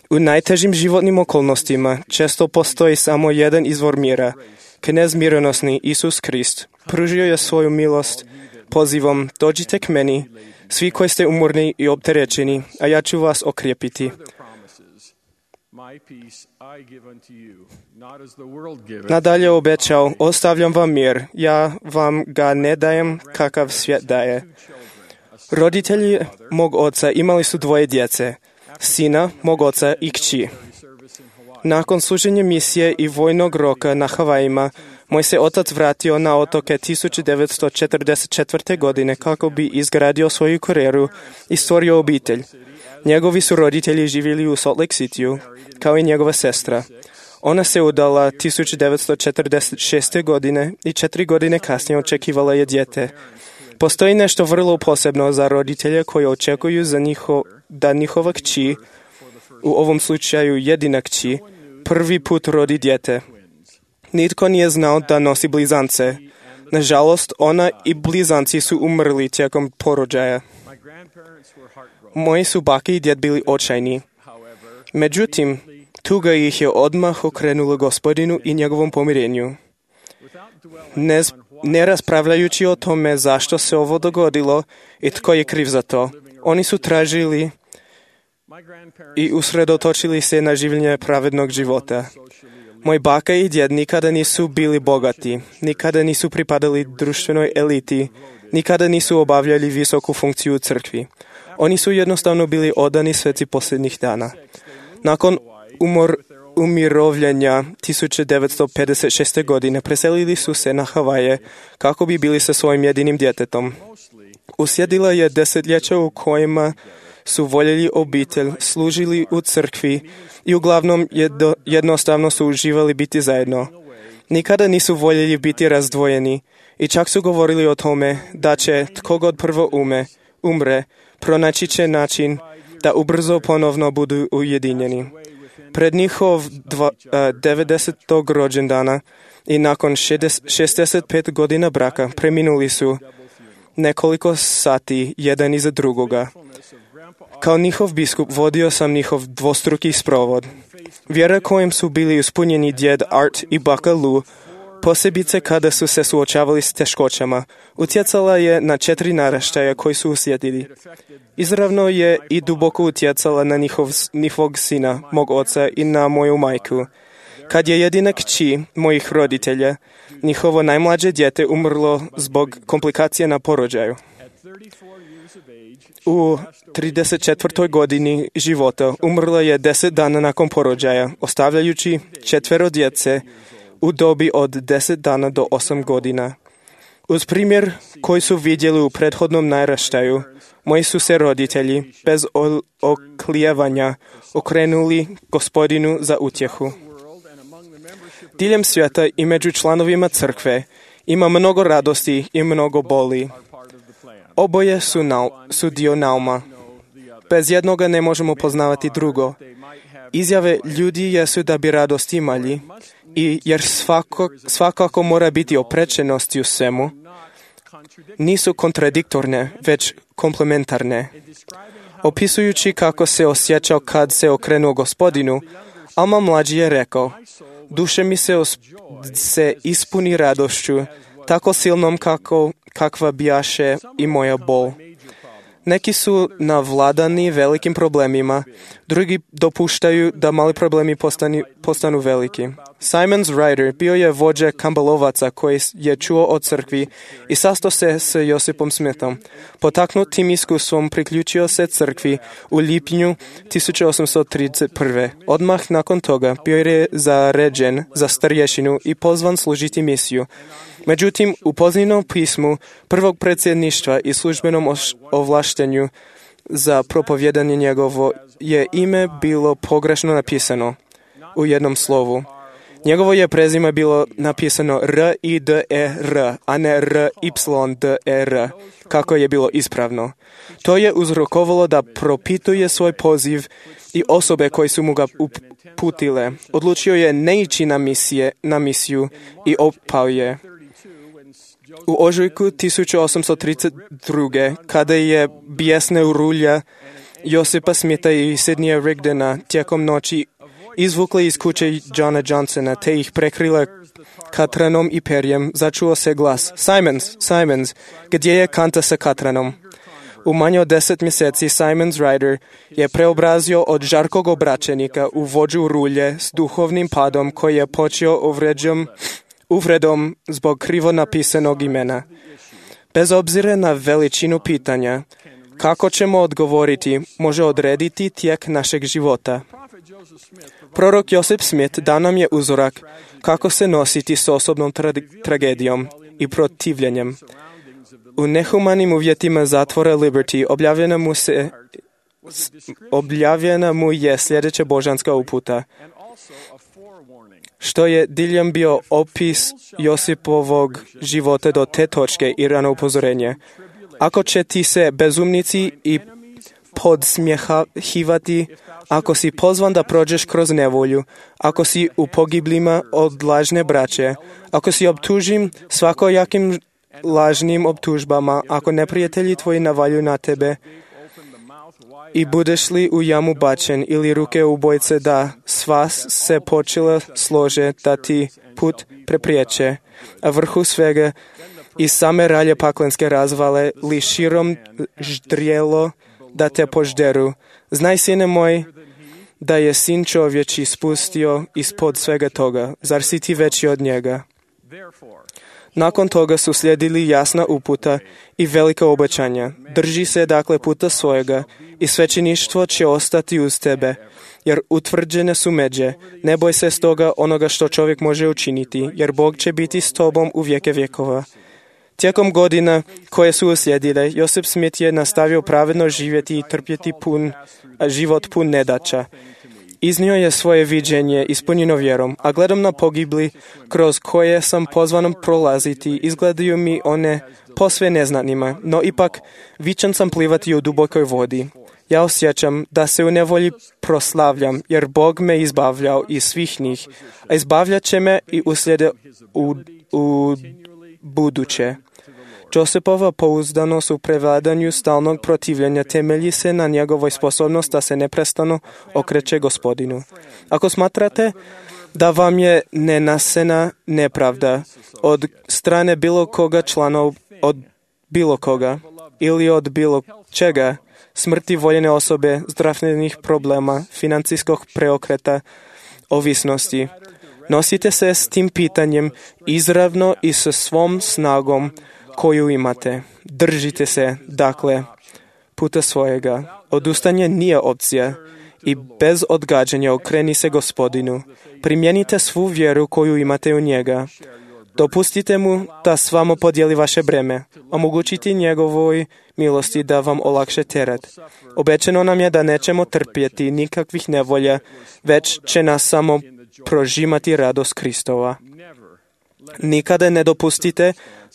U najtežim životnim okolnostima često postoji samo jedan izvor mira. Knez mironosni Isus Krist pružio je svoju milost pozivom: dođite k meni, svi koji ste umorni i opterećeni, a ja ću vas okrijepiti. Nadalje obećao: ostavljam vam mir, ja vam ga ne dajem kakav svijet daje. Roditelji mog oca imali su 2 djece, sina mog oca i kći. Nakon služenja misije i vojnog roka na Havajima, moj se otac vratio na otoke 1944. godine kako bi izgradio svoju karijeru i stvorio obitelj. Njegovi su roditelji živjeli u Salt Lake Cityu, kao i njegova sestra. Ona se udala 1946. godine i 4 godine kasnije očekivala je dijete. Postoji nešto vrlo posebno za roditelje koji očekuju da njihova kći, u ovom slučaju jedina kći, prvi put rodi dijete. Nitko nije znao da nosi blizance. Nažalost, ona i blizanci su umrli tijekom porođaja. Moji su bake i djed bili očajni. Međutim, tuga ih je odmah okrenula Gospodinu i njegovom pomirenju. Ne raspravljajući o tome zašto se ovo dogodilo i tko je kriv za to, oni su tražili i usredotočili se na življenje pravednog života. Moj baka i djed nikada nisu bili bogati, nikada nisu pripadali društvenoj eliti, nikada nisu obavljali visoku funkciju u crkvi. Oni su jednostavno bili odani sveci posljednjih dana. Nakon umirovljenja 1956. godine preselili su se na Havaje kako bi bili sa svojim jedinim djetetom. Uslijedila je desetljeća u kojima su voljeli obitelj, služili u crkvi i uglavnom jednostavno su uživali biti zajedno. Nikada nisu voljeli biti razdvojeni i čak su govorili o tome da će tko god prvo umre, pronaći će način da ubrzo ponovno budu ujedinjeni. Pred njihov 90. rođendana i nakon 65 godina braka preminuli su nekoliko sati jedan iza drugoga. Kao njihov biskup vodio sam njihov dvostruki sprovod. Vjera kojim su bili ispunjeni djed Art i baka Lou, posebice kada su se suočavali s teškoćama, utjecala je na 4 naraštaja koji su uslijedili. Izravno je i duboko utjecala na njihovog sina, mog oca i na moju majku. Kad je jedina kći mojih roditelja, njihovo najmlađe dijete umrlo zbog komplikacije na porođaju. U 34. godini života umrla je 10 dana nakon porođaja, ostavljajući 4 djece u dobi od 10 dana do 8 godina. Uz primjer koji su vidjeli u prethodnom naraštaju, moji su se roditelji bez oklijevanja okrenuli Gospodinu za utjehu. Diljem svijeta i među članovima crkve ima mnogo radosti i mnogo boli. Oboje su dio nauma. Bez jednoga ne možemo poznavati drugo. Izjave ljudi jesu da bi radost imali, jer svakako mora biti oprečenosti u svemu, nisu kontradiktorne, već komplementarne. Opisujući kako se osjećao kad se okrenuo Gospodinu, Alma mlađi je rekao: duše mi se ispuni radošću, tako silnom kakva bijaše i moja bol. Neki su navladani velikim problemima, drugi dopuštaju da mali problemi postanu veliki. Simon Ryder bio je vođa kambalovaca koji je čuo o crkvi i sastao se s Josipom Smithom. Potaknut tim iskustvom priključio se crkvi u lipnju 1831. Odmah nakon toga bio je zaređen za starješinu i pozvan služiti misiju. Međutim, u pozivnom pismu prvog predsjedništva i službenom ovlaštenju za propovjedanje njegovo je ime bilo pogrešno napisano u jednom slovu. Njegovo je prezime bilo napisano R-I-D-E-R, a ne R-Y-D-E-R, kako je bilo ispravno. To je uzrokovalo da propituje svoj poziv i osobe koje su mu ga uputile. Odlučio je ne ići na misiju i opao je. U ožujku 1832. kada je bijesna rulja Josipa Smitha i Sidneya Rigdona tijekom noći izvukla iz kuće Johna Johnsona te ih prekrila katranom i perjem, začuo se glas: Simons, gdje je kanta sa katranom? U manje od 10 mjeseci Simon Ryder je preobrazio od žarkog obraćenika u vođu rulje s duhovnim padom koji je počeo uvredom zbog krivo napisanog imena. Bez obzira na veličinu pitanja, kako ćemo odgovoriti može odrediti tijek našeg života. Prorok Joseph Smith dao nam je uzorak kako se nositi s osobnom tragedijom i protivljenjem. U nehumanim uvjetima zatvora Liberty objavljena mu je sljedeća božanska uputa, što je diljem bio opis Josipovog života do te točke i rano upozorenje. Ako će ti se bezumnici i podsmjehivati, ako si pozvan da prođeš kroz nevolju, ako si u pogiblima od lažne braće, ako si optužim svakojakim lažnim optužbama, ako neprijatelji tvoji navalju na tebe i budeš li u jamu bačen ili ruke ubojce da sva se počela slože da ti put prepriječe, a vrhu svega i same ralje paklenske razvale li širom ždrijelo da te požderu. Znaj, sine moj, da je sin čovječi spustio ispod svega toga. Zar si ti veći od njega? Nakon toga su slijedili jasna uputa i velika obećanja. Drži se dakle puta svojega i svećeništvo će ostati uz tebe, jer utvrđene su međe. Ne boj se stoga onoga što čovjek može učiniti, jer Bog će biti s tobom u vijeke vjekova. Tijekom godina koje su uslijedile, Joseph Smith je nastavio pravedno živjeti i trpjeti život pun nedaća. Iznio je svoje viđenje ispunjeno vjerom, a gledam na pogibli kroz koje sam pozvan prolaziti, izgledaju mi one posve neznanima, no ipak vičan sam plivati u dubokoj vodi. Ja osjećam da se u nevolji proslavljam, jer Bog me izbavljao iz svih njih, a izbavljat će me i uslijede u buduće. Josepova pouzdanost u prevladanju stalnog protivljenja temelji se na njegovoj sposobnosti da se neprestano okreće Gospodinu. Ako smatrate da vam je nenasena nepravda od strane bilo koga članov, od bilo koga ili od bilo čega, smrti voljene osobe, zdravstvenih problema, financijskog preokreta, ovisnosti, nosite se s tim pitanjem izravno i sa svom snagom koju imate. Držite se, dakle, puta svojega. Odustanje nije opcija i bez odgađanja okreni se Gospodinu. Primijenite svu vjeru koju imate u njega. Dopustite mu da s vama podijeli vaše breme. Omogućite njegovoj milosti da vam olakše teret. Obećano nam je da nećemo trpjeti nikakvih nevolja, već će nas samo prožimati radost Kristova. Nikada ne dopustite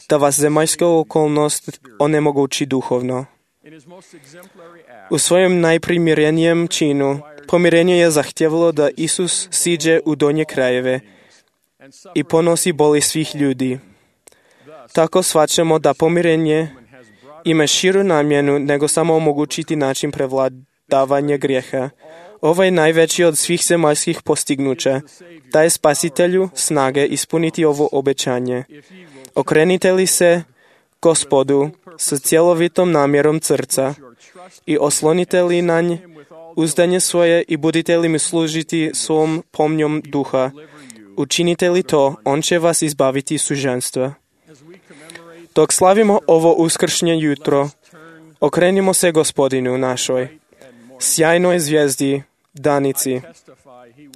da vas zemaljska okolnost onemogući duhovno. U svojem najprimjerenijem činu pomirenje je zahtjevalo da Isus siđe u donje krajeve i ponosi boli svih ljudi. Tako shvaćamo da pomirenje ima širu namjenu nego samo omogućiti način prevladavanja grijeha. Ovo je najveći od svih zemaljskih postignuća. Daje Spasitelju snage ispuniti ovo obećanje. Okrenite li se Gospodu sa cjelovitom namjerom srca i oslonite li na nj uzdanje svoje i budite li mi služiti svom pomnjom duha. Učinite li to, on će vas izbaviti suženstva. Dok slavimo ovo uskršnje jutro, okrenimo se Gospodinu našoj, sjajnoj zvijezdi, danici.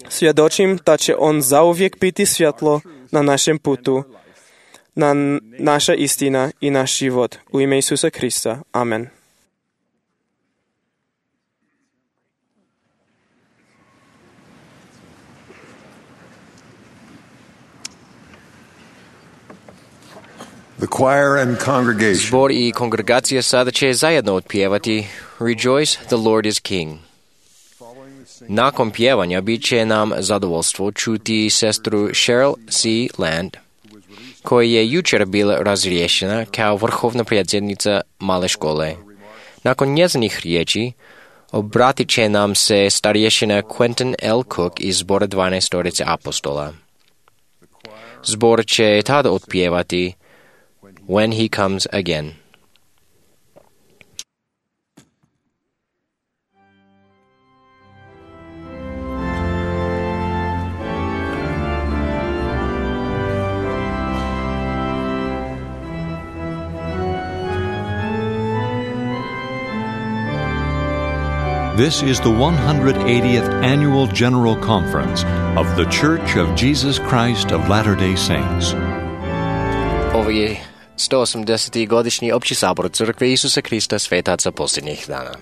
Svjedočim da će on zauvijek biti svjetlo na našem putu, na naša istina i naš život. U ime Isusa Krista. Amen. The choir and congregation. Zbor i kongregacija sada će zajedno otpjevati Rejoice, the Lord is King. Nakon pjevanja bit će nam zadovoljstvo čuti sestru Cheryl C. Land, koja je jučer bila razriješena kao vrhovna predsjednica male škole. Nakon njezinih riječi obratit će nam se starješina Quentin L. Cook iz zbora 12 apostola. Zbor će tada otpjevati When He Comes Again. This is the 180th Annual General Conference of the Church of Jesus Christ of Latter-day Saints. Ovo je 180. godišnji opći sabor Crkve Isusa Krista svetaca posljednjih dana.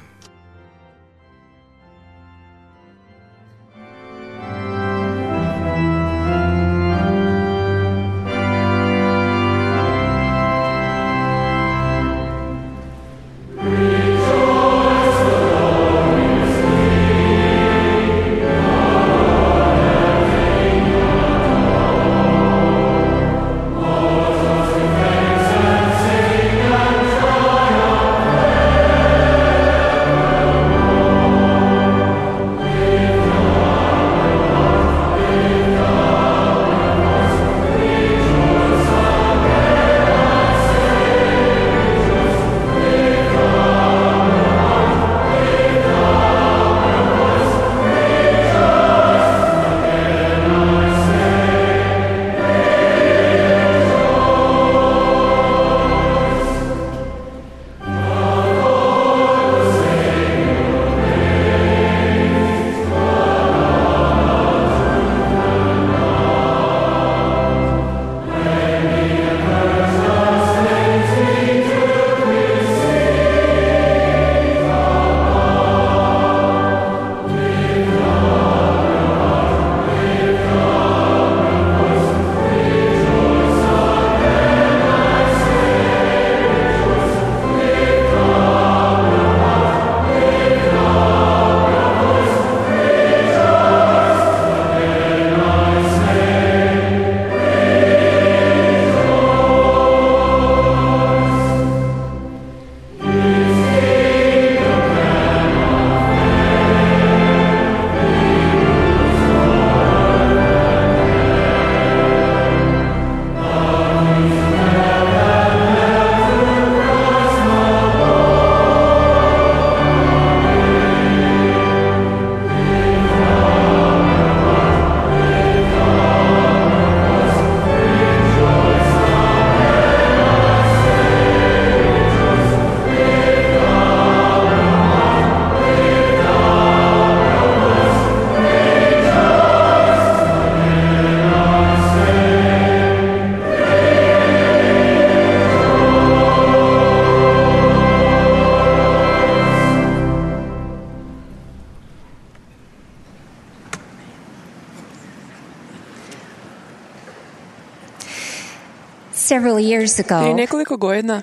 Prije nekoliko godina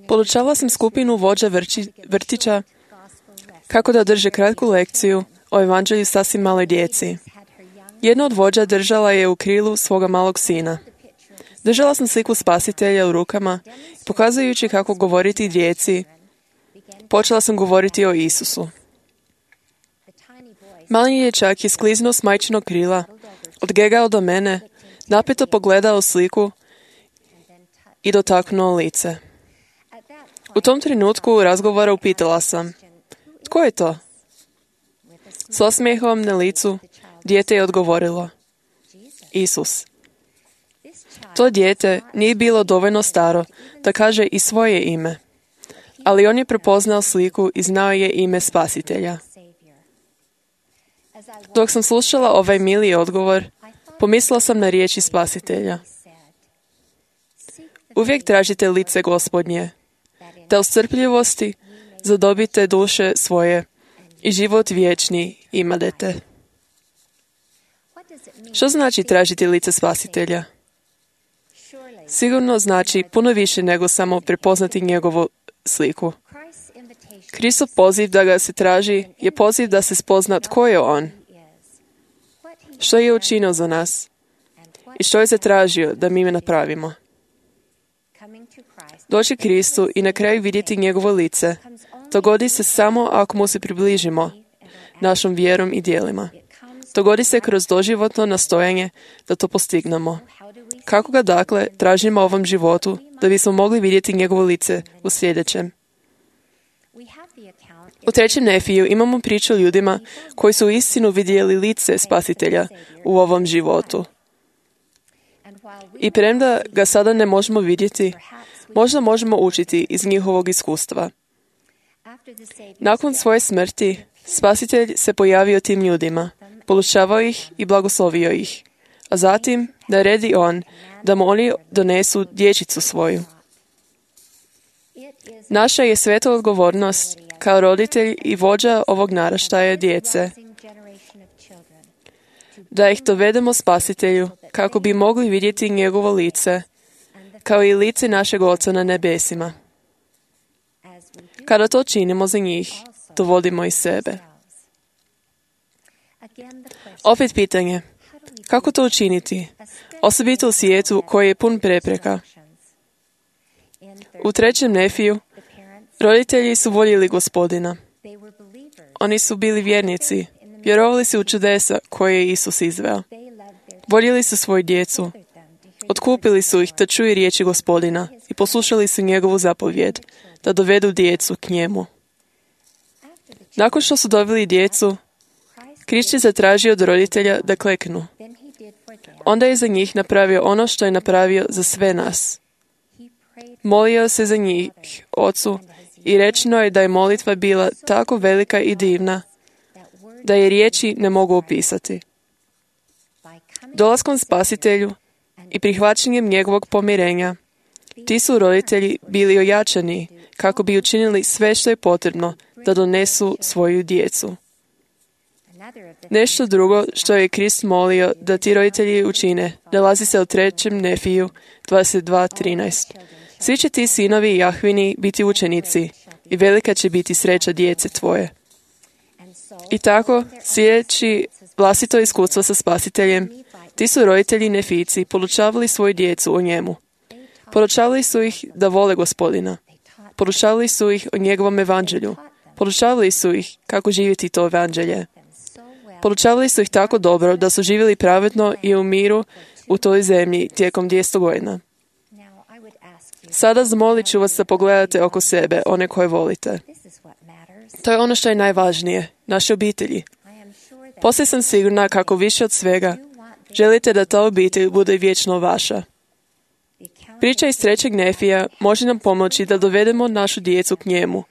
podučavala sam skupinu vođa vrtića kako da drže kratku lekciju o evanđelju sasvim maloj djeci. Jedna od vođa držala je u krilu svoga malog sina. Držala sam sliku spasitelja u rukama i pokazujući kako govoriti djeci, počela sam govoriti o Isusu. Mali dječak je skliznuo s majčinog krila, odgegao do mene, napeto pogledao sliku i dotaknuo lice. U tom trenutku razgovora upitala sam, tko je to? S osmijehom na licu dijete je odgovorilo, Isus. To dijete nije bilo dovoljno staro da kaže i svoje ime, ali on je prepoznao sliku i znao je ime Spasitelja. Dok sam slušala ovaj mili odgovor, pomislila sam na riječi Spasitelja. Uvijek tražite lice Gospodnje, da u strpljivosti zadobite duše svoje i život vječni imadete. Što znači tražiti lice Spasitelja? Sigurno znači puno više nego samo prepoznati njegovu sliku. Kristov poziv da ga se traži je poziv da se spozna tko je on, što je učinio za nas i što je zatražio da mi napravimo. Doći Kristu i na kraju vidjeti njegovo lice dogodi se samo ako mu se približimo našom vjerom i djelima. Dogodi se kroz doživotno nastojanje da to postignemo. Kako ga dakle tražimo u ovom životu da bismo mogli vidjeti njegovo lice u sljedećem? U 3. Nefiju imamo priču o ljudima koji su uistinu vidjeli lice Spasitelja u ovom životu. I premda ga sada ne možemo vidjeti, možda možemo učiti iz njihovog iskustva. Nakon svoje smrti, Spasitelj se pojavio tim ljudima, poučavao ih i blagoslovio ih, a zatim naredi on da mu oni donesu dječicu svoju. Naša je sveta odgovornost kao roditelj i vođa ovog naraštaja djece, da ih dovedemo Spasitelju kako bi mogli vidjeti njegovo lice, kao i lice našeg Oca na nebesima. Kada to činimo za njih, dovodimo i sebe. Opet pitanje, kako to učiniti, osobito u svijetu koji je pun prepreka? U 3. Nefiju, roditelji su voljeli Gospodina. Oni su bili vjernici, vjerovali su u čudesa koje je Isus izveo. Voljeli su svoju djecu, otkupili su ih da čuju riječi Gospodina i poslušali su njegovu zapovjed, da dovedu djecu k njemu. Nakon što su doveli djecu, Krist je zatražio od roditelja da kleknu. Onda je za njih napravio ono što je napravio za sve nas. Molio se za njih Ocu i rečeno je da je molitva bila tako velika i divna, da je riječi ne mogu opisati. Dolaskom Spasitelju i prihvaćanjem njegovog pomirenja, ti su roditelji bili ojačani kako bi učinili sve što je potrebno da donesu svoju djecu. Nešto drugo što je Krist molio da ti roditelji učine, nalazi se u 3. Nefiju 22:13. Svi će ti sinovi Jahvini biti učenici i velika će biti sreća djece tvoje. I tako, slijedeći vlastito iskustvo sa Spasiteljem, ti su roditelji Nefijci podučavali svoju djecu o njemu. Podučavali su ih da vole Gospodina. Podučavali su ih o njegovom evanđelju. Podučavali su ih kako živjeti to evanđelje. Podučavali su ih tako dobro da su živjeli pravedno i u miru u toj zemlji tijekom 200 godina. Sada zamolit ću vas da pogledate oko sebe, one koje volite. To je ono što je najvažnije, naše obitelji. Poslije sam sigurna kako više od svega želite da ta obitelj bude vječno vaša. Priča iz 3. Nefija može nam pomoći da dovedemo našu djecu k njemu,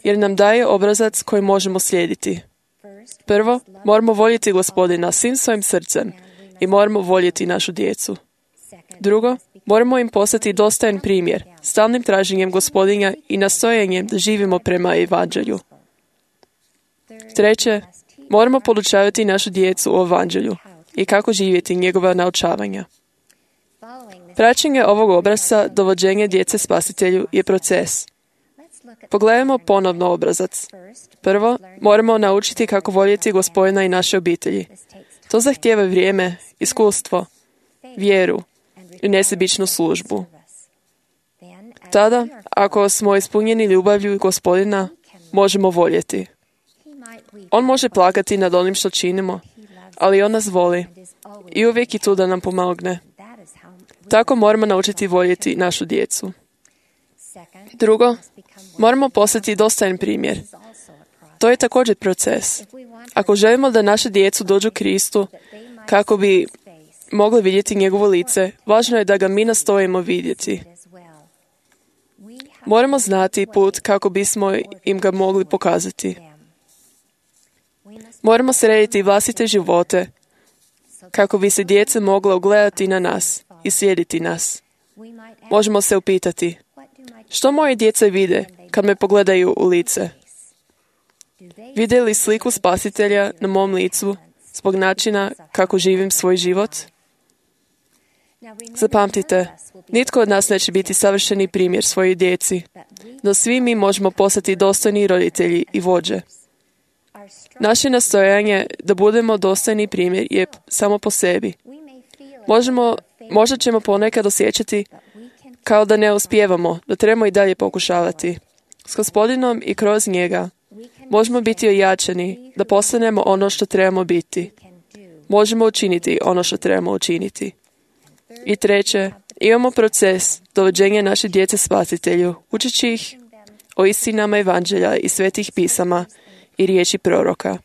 jer nam daje obrazac koji možemo slijediti. Prvo, moramo voljeti Gospodina svim svojim srcem i moramo voljeti našu djecu. Drugo, moramo im postati dostojan primjer, stalnim traženjem Gospodina i nastojanjem da živimo prema evanđelju. Treće, moramo podučavati našu djecu o evanđelju i kako živjeti njegova naučavanja. Praćenje ovog obrasca dovođenja djece Spasitelju je proces. Pogledajmo ponovno obrazac. Prvo, moramo naučiti kako voljeti Gospodina i naše obitelji. To zahtijeva vrijeme, iskustvo, vjeru i nesebičnu službu. Tada, ako smo ispunjeni ljubavlju Gospodina, možemo voljeti. On može plakati nad onim što činimo, ali on nas voli i uvijek je tu da nam pomogne. Tako moramo naučiti voljeti našu djecu. Drugo, moramo postati dostojan primjer. To je također proces. Ako želimo da naše djecu dođu Kristu kako bi mogli vidjeti njegovo lice, važno je da ga mi nastojimo vidjeti. Moramo znati put kako bismo im ga mogli pokazati. Moramo srediti vlastite živote kako bi se djeca mogla ugledati na nas i slijediti nas. Možemo se upitati, što moje djeca vide kad me pogledaju u lice? Vide li sliku Spasitelja na mom licu zbog načina kako živim svoj život? Zapamtite, nitko od nas neće biti savršeni primjer svojoj djeci, no svi mi možemo postati dostojni roditelji i vođe. Naše nastojanje da budemo dostojni primjer je samo po sebi. Možda ćemo ponekad osjećati kao da ne uspijevamo, da trebamo i dalje pokušavati. S Gospodinom i kroz njega možemo biti ojačani da postanemo ono što trebamo biti. Možemo učiniti ono što trebamo učiniti. I treće, imamo proces dovođenja naše djece Spasitelju, učeći ih o istinama evanđelja i svetih pisama i riječi proroka.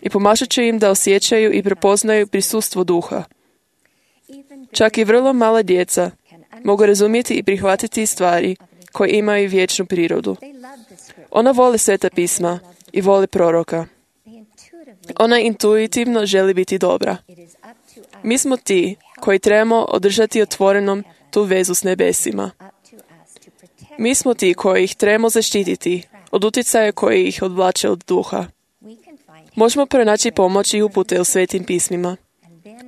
I pomažat će im da osjećaju i prepoznaju prisustvo duha. Čak i vrlo mala djeca mogu razumjeti i prihvatiti stvari koje imaju vječnu prirodu. Ona voli sveta pisma i voli proroka. Ona intuitivno želi biti dobra. Mi smo ti koji trebamo održati otvorenom tu vezu s nebesima. Mi smo ti koji ih trebamo zaštititi od utjecaja koji ih odvlače od duha. Možemo pronaći pomoć i upute u svetim pismima.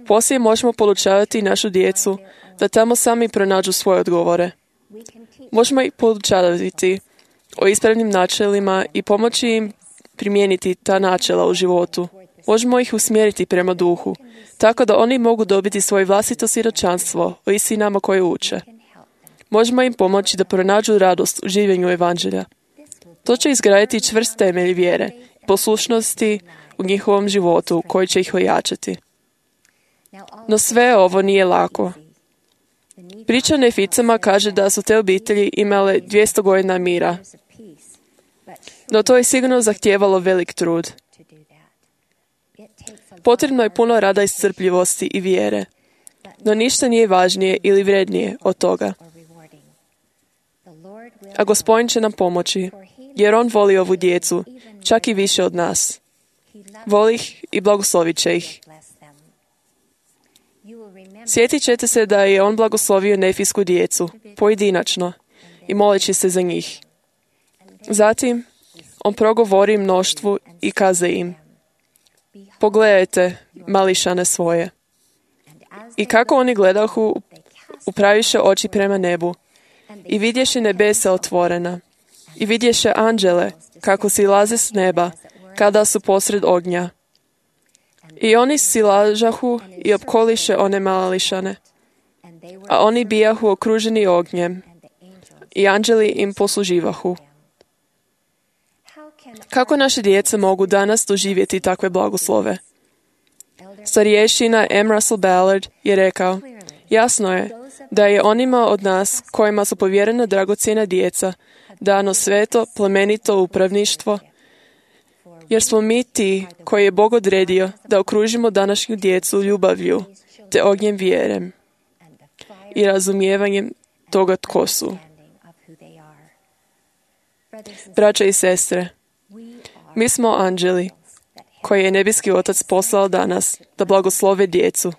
Poslije možemo podučavati našu djecu da tamo sami pronađu svoje odgovore. Možemo ih podučavati o ispravnim načelima i pomoći im primijeniti ta načela u životu. Možemo ih usmjeriti prema duhu, tako da oni mogu dobiti svoje vlastito svjedočanstvo o istinama koje uče. Možemo im pomoći da pronađu radost u življenju evanđelja. To će izgraditi čvrst temelj vjere i poslušnosti u njihovom životu koji će ih ojačati. No sve ovo nije lako. Priča o Neficama kaže da su te obitelji imale 200 godina mira. No to je sigurno zahtijevalo velik trud. Potrebno je puno rada i strpljivosti i vjere. No ništa nije važnije ili vrednije od toga. A Gospodin će nam pomoći, jer On voli ovu djecu, čak i više od nas. Voli ih i blagoslovit će ih. Sjetit ćete se da je On blagoslovio nefijsku djecu, pojedinačno, i moleći se za njih. Zatim, On progovori mnoštvu i kaze im: pogledajte, mališane svoje. I kako oni gledahu, upraviše oči prema nebu, i vidješe nebesa otvorena, i vidješe anđele, kako silaze s neba, kada su posred ognja. I oni silažahu i opkoliše one mališane, a oni bijahu okruženi ognjem, i anđeli im posluživahu. Kako naše djeca mogu danas doživjeti takve blagoslove? Starješina M. Russell Ballard je rekao: jasno je da je onima od nas kojima su povjerena dragocjena djeca dano sveto, plemenito upravništvo, jer smo mi ti koji je Bog odredio da okružimo današnju djecu ljubavlju te ognjem vjerem i razumijevanjem toga tko su. Braća i sestre, mi smo anđeli koje je nebeski Otac poslao danas da blagoslove djecu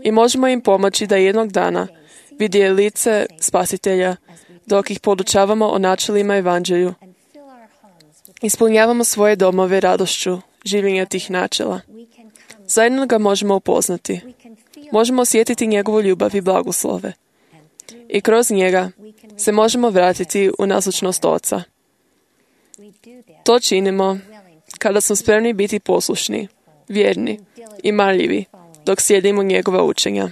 i možemo im pomoći da jednog dana vide lice Spasitelja dok ih podučavamo o načelima evanđelju. Ispunjavamo svoje domove radošću življenja tih načela. Zajedno ga možemo upoznati. Možemo osjetiti njegovu ljubav i blagoslove. I kroz njega se možemo vratiti u nazočnost Oca. To činimo kada smo spremni biti poslušni, vjerni i marljivi dok slijedimo njegova učenja.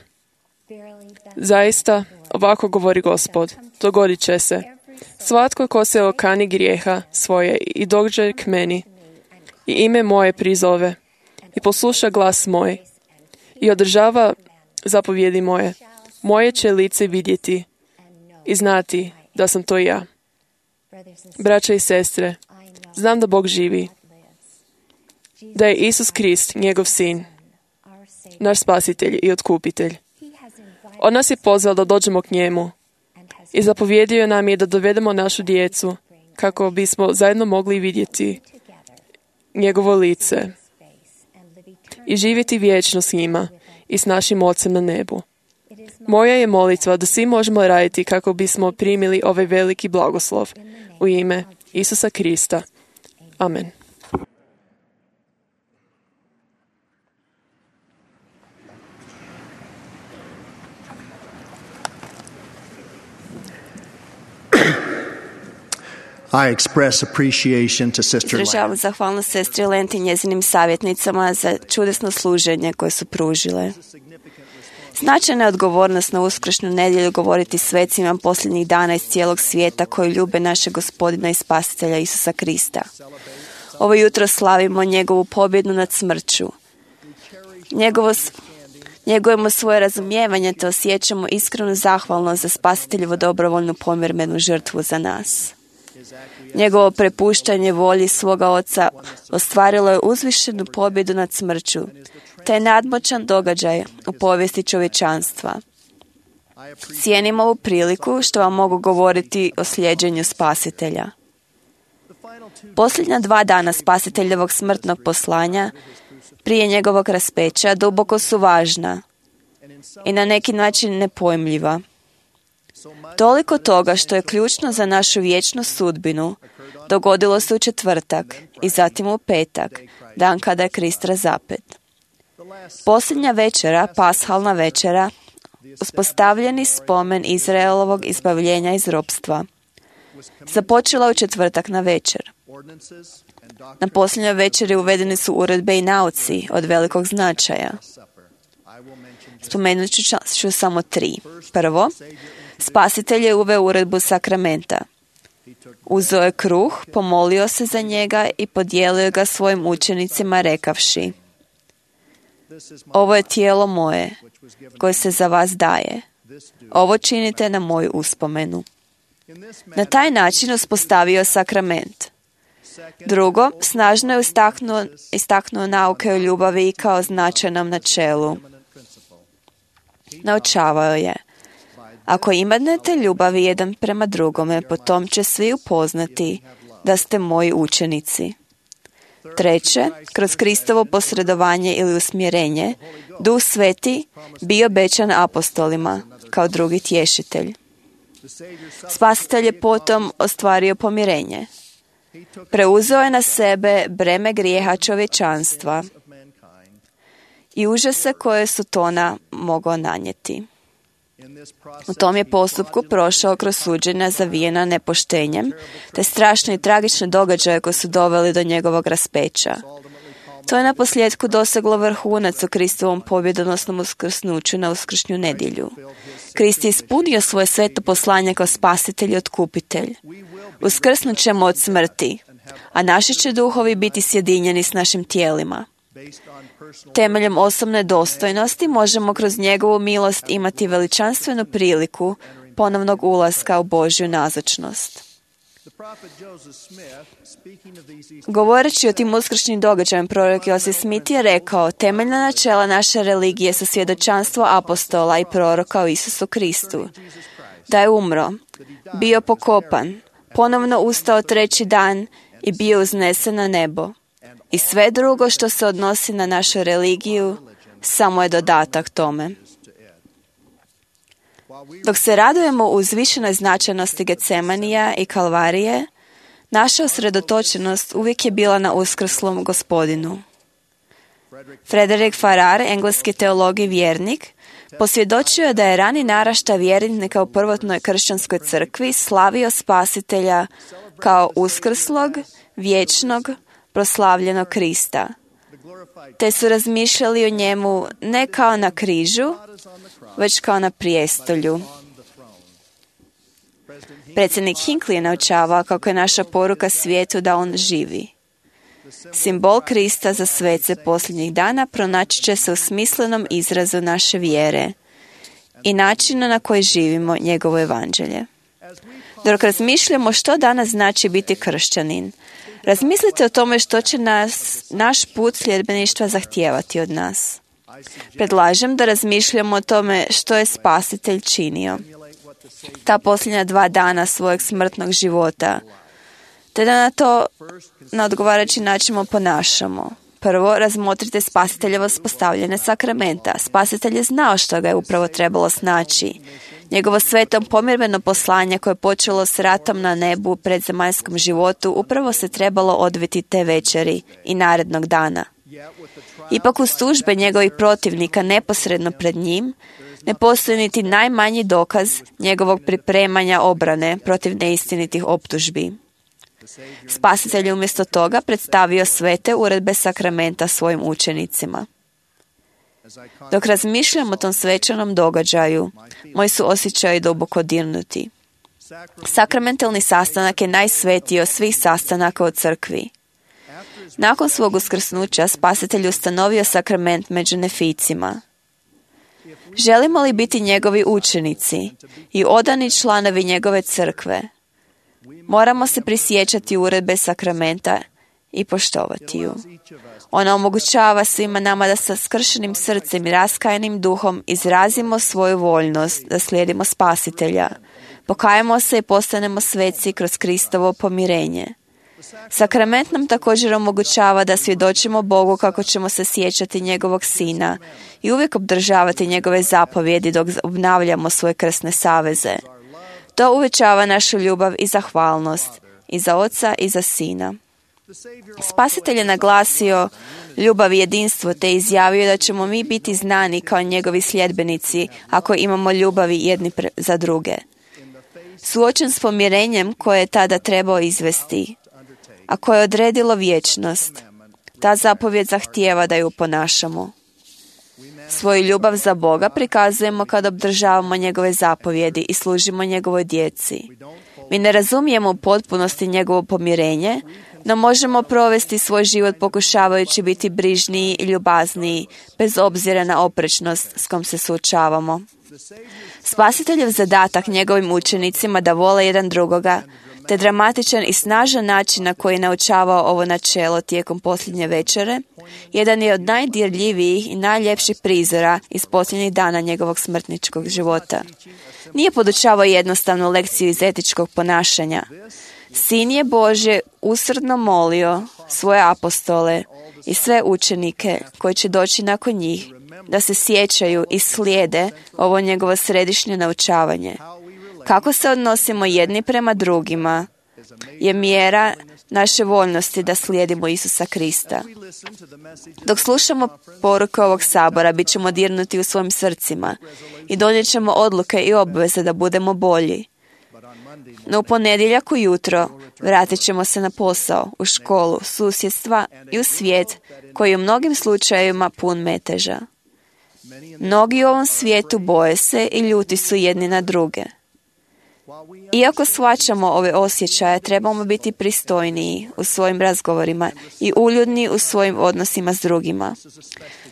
Zaista, ovako govori Gospod, dogodit će se: svatko ko se okani grijeha svoje i dođe k meni i ime moje prizove i posluša glas moj i održava zapovjedi moje, moje će lice vidjeti i znati da sam to ja. Braća i sestre, znam da Bog živi, da je Isus Krist, njegov sin, naš spasitelj i otkupitelj. On nas je pozvao da dođemo k njemu i zapovjedio nam je da dovedemo našu djecu kako bismo zajedno mogli vidjeti njegovo lice i živjeti vječno s njima i s našim Ocem na nebu. Moja je molitva da svi možemo raditi kako bismo primili ovaj veliki blagoslov u ime Isusa Krista. Amen. I express appreciation to Sister Izražavam zahvalnost sestri Lent i njezinim savjetnicama za čudesno služenje koje su pružile. Značajna je odgovornost na uskršnju nedjelju govoriti svecima posljednjih dana iz cijelog svijeta koji ljube našeg Gospodina i Spasitelja Isusa Krista. Ovo jutro slavimo njegovu pobjedu nad smrću. Njegujemo svoje razumijevanje te osjećamo iskrenu zahvalnost za Spasiteljevu dobrovoljnu pomirmenu žrtvu za nas. Njegovo prepuštanje volji svoga Oca ostvarilo je uzvišenu pobjedu nad smrću, te je nadmoćan događaj u povijesti čovječanstva. Cijenim ovu priliku što vam mogu govoriti o slijeđenju Spasitelja. Posljednja 2 dana Spasiteljevog smrtnog poslanja prije njegovog raspeća duboko su važna i na neki način nepojmljiva. Toliko toga što je ključno za našu vječnu sudbinu dogodilo se u četvrtak i zatim u petak, dan kada je Krist razapet. Posljednja večera, pashalna večera, uspostavljeni spomen Izraelovog izbavljenja iz ropstva, započela u četvrtak na večer. Na posljednjoj večeri uvedeni su uredbe i nauci od velikog značaja. Spomenut ću samo 3. Prvo, Spasitelj je uveo uredbu sakramenta. Uzeo je kruh, pomolio se za njega i podijelio ga svojim učenicima rekavši: ovo je tijelo moje, koje se za vas daje. Ovo činite na moju uspomenu. Na taj način uspostavio sakrament. Drugo, snažno je istaknuo nauke o ljubavi kao značajnom načelu. Naučavao je: ako imate ljubavi jedan prema drugome, potom će svi upoznati da ste moji učenici. Treće, kroz Kristovo posredovanje ili usmjerenje, Duh Sveti bio obećan apostolima kao drugi tješitelj. Spasitelj je potom ostvario pomirenje. Preuzeo je na sebe breme grijeha čovječanstva i užase koje Sotona mogao nanijeti. U tom je postupku prošao kroz suđenja zavijena nepoštenjem, te strašne i tragične događaje koji su doveli do njegovog raspeća. To je naposljetku doseglo vrhunac u Kristovom pobjedonosnom uskrsnuću na uskršnju nedjelju. Krist je ispunio svoje sveto poslanje kao spasitelj i otkupitelj. Uskrsnut ćemo od smrti, a naši će duhovi biti sjedinjeni s našim tijelima. Temeljem osobne dostojnosti možemo kroz njegovu milost imati veličanstvenu priliku ponovnog ulaska u Božju nazočnost. Govoreći o tim uskršnjim događajima, prorok Josef Smith je rekao: temeljna načela naše religije su svjedočanstvo apostola i proroka o Isusu Kristu, da je umro, bio pokopan, ponovno ustao 3. dan i bio uznesen na nebo. I sve drugo što se odnosi na našu religiju samo je dodatak tome. Dok se radujemo u uzvišenoj značajnosti Getsemanija i Kalvarije, naša usredotočenost uvijek je bila na uskrslom Gospodinu. Frederick Farrar, engleski teolog i vjernik, posvjedočio je da je rani naraštaj vjernika u prvotnoj kršćanskoj crkvi slavio Spasitelja kao uskrslog, vječnog, proslavljenog Krista, te su razmišljali o njemu ne kao na križu, već kao na prijestolju. Predsjednik Hinckley je naučavao kako je naša poruka svijetu da on živi. Simbol Krista za svece posljednjih dana pronaći će se u smislenom izrazu naše vjere i načina na koji živimo njegovo evanđelje. Dok razmišljamo što danas znači biti kršćanin, razmislite o tome što će naš put sljedbeništva zahtijevati od nas. Predlažem da razmišljamo o tome što je Spasitelj činio ta posljednja 2 dana svojeg smrtnog života, te da na to na odgovarajući način ponašamo. Prvo, razmotrite Spasiteljevo spostavljene sakramenta. Spasitelj je znao što ga je upravo trebalo snaći. Njegovo sveto pomirbeno poslanje koje je počelo s ratom na nebu u predzemaljskom životu upravo se trebalo odviti te večeri i narednog dana. Ipak uz tužbe njegovih protivnika neposredno pred njim, ne postoji niti najmanji dokaz njegovog pripremanja obrane protiv neistinitih optužbi. Spasitelj je umjesto toga predstavio svete uredbe sakramenta svojim učenicima. Dok razmišljam o tom svečanom događaju, moji su osjećaji duboko dirnuti. Sakramentalni sastanak je najsvetiji od svih sastanaka u crkvi. Nakon svog uskrsnuća, Spasitelj ustanovio sakrament među neficima. Želimo li biti njegovi učenici i odani članovi njegove crkve, moramo se prisjećati uredbe sakramenta i poštovati ju. Ona omogućava svima nama da sa skršenim srcem i raskajanim duhom izrazimo svoju voljnost da slijedimo Spasitelja, pokajemo se i postanemo sveci kroz Kristovo pomirenje. Sakrament nam također omogućava da svjedočimo Bogu kako ćemo se sjećati njegovog Sina i uvijek obdržavati njegove zapovjedi dok obnavljamo svoje krsne saveze. To uvećava našu ljubav i zahvalnost i za Oca i za Sina. Spasitelj je naglasio ljubav i jedinstvo te izjavio da ćemo mi biti znani kao njegovi sljedbenici ako imamo ljubavi jedni za druge. Suočen s pomirenjem koje je tada trebao izvesti, a koje je odredilo vječnost, ta zapovjed zahtijeva da ju ponašamo. Svoju ljubav za Boga prikazujemo kad obdržavamo njegove zapovjedi i služimo njegovoj djeci. Mi ne razumijemo u potpunosti njegovo pomirenje, no možemo provesti svoj život pokušavajući biti brižniji i ljubazniji, bez obzira na oprečnost s kom se suočavamo. Spasiteljev zadatak njegovim učenicima da vole jedan drugoga, te dramatičan i snažan način na koji je naučavao ovo načelo tijekom posljednje večere, jedan je od najdirljivijih i najljepših prizora iz posljednjih dana njegovog smrtničkog života. Nije podučavao jednostavnu lekciju iz etičkog ponašanja. Sin je Božje usrdno molio svoje apostole i sve učenike koji će doći nakon njih da se sjećaju i slijede ovo njegovo središnje naučavanje. Kako se odnosimo jedni prema drugima je mjera naše voljnosti da slijedimo Isusa Krista. Dok slušamo poruke ovog sabora, bit ćemo dirnuti u svojim srcima i donijet ćemo odluke i obveze da budemo bolji. No u ponedjeljak ujutro vratit ćemo se na posao, u školu, susjedstva i u svijet koji je u mnogim slučajevima pun meteža. Mnogi u ovom svijetu boje se i ljuti su jedni na druge. Iako shvaćamo ove osjećaje, trebamo biti pristojniji u svojim razgovorima i uljudni u svojim odnosima s drugima.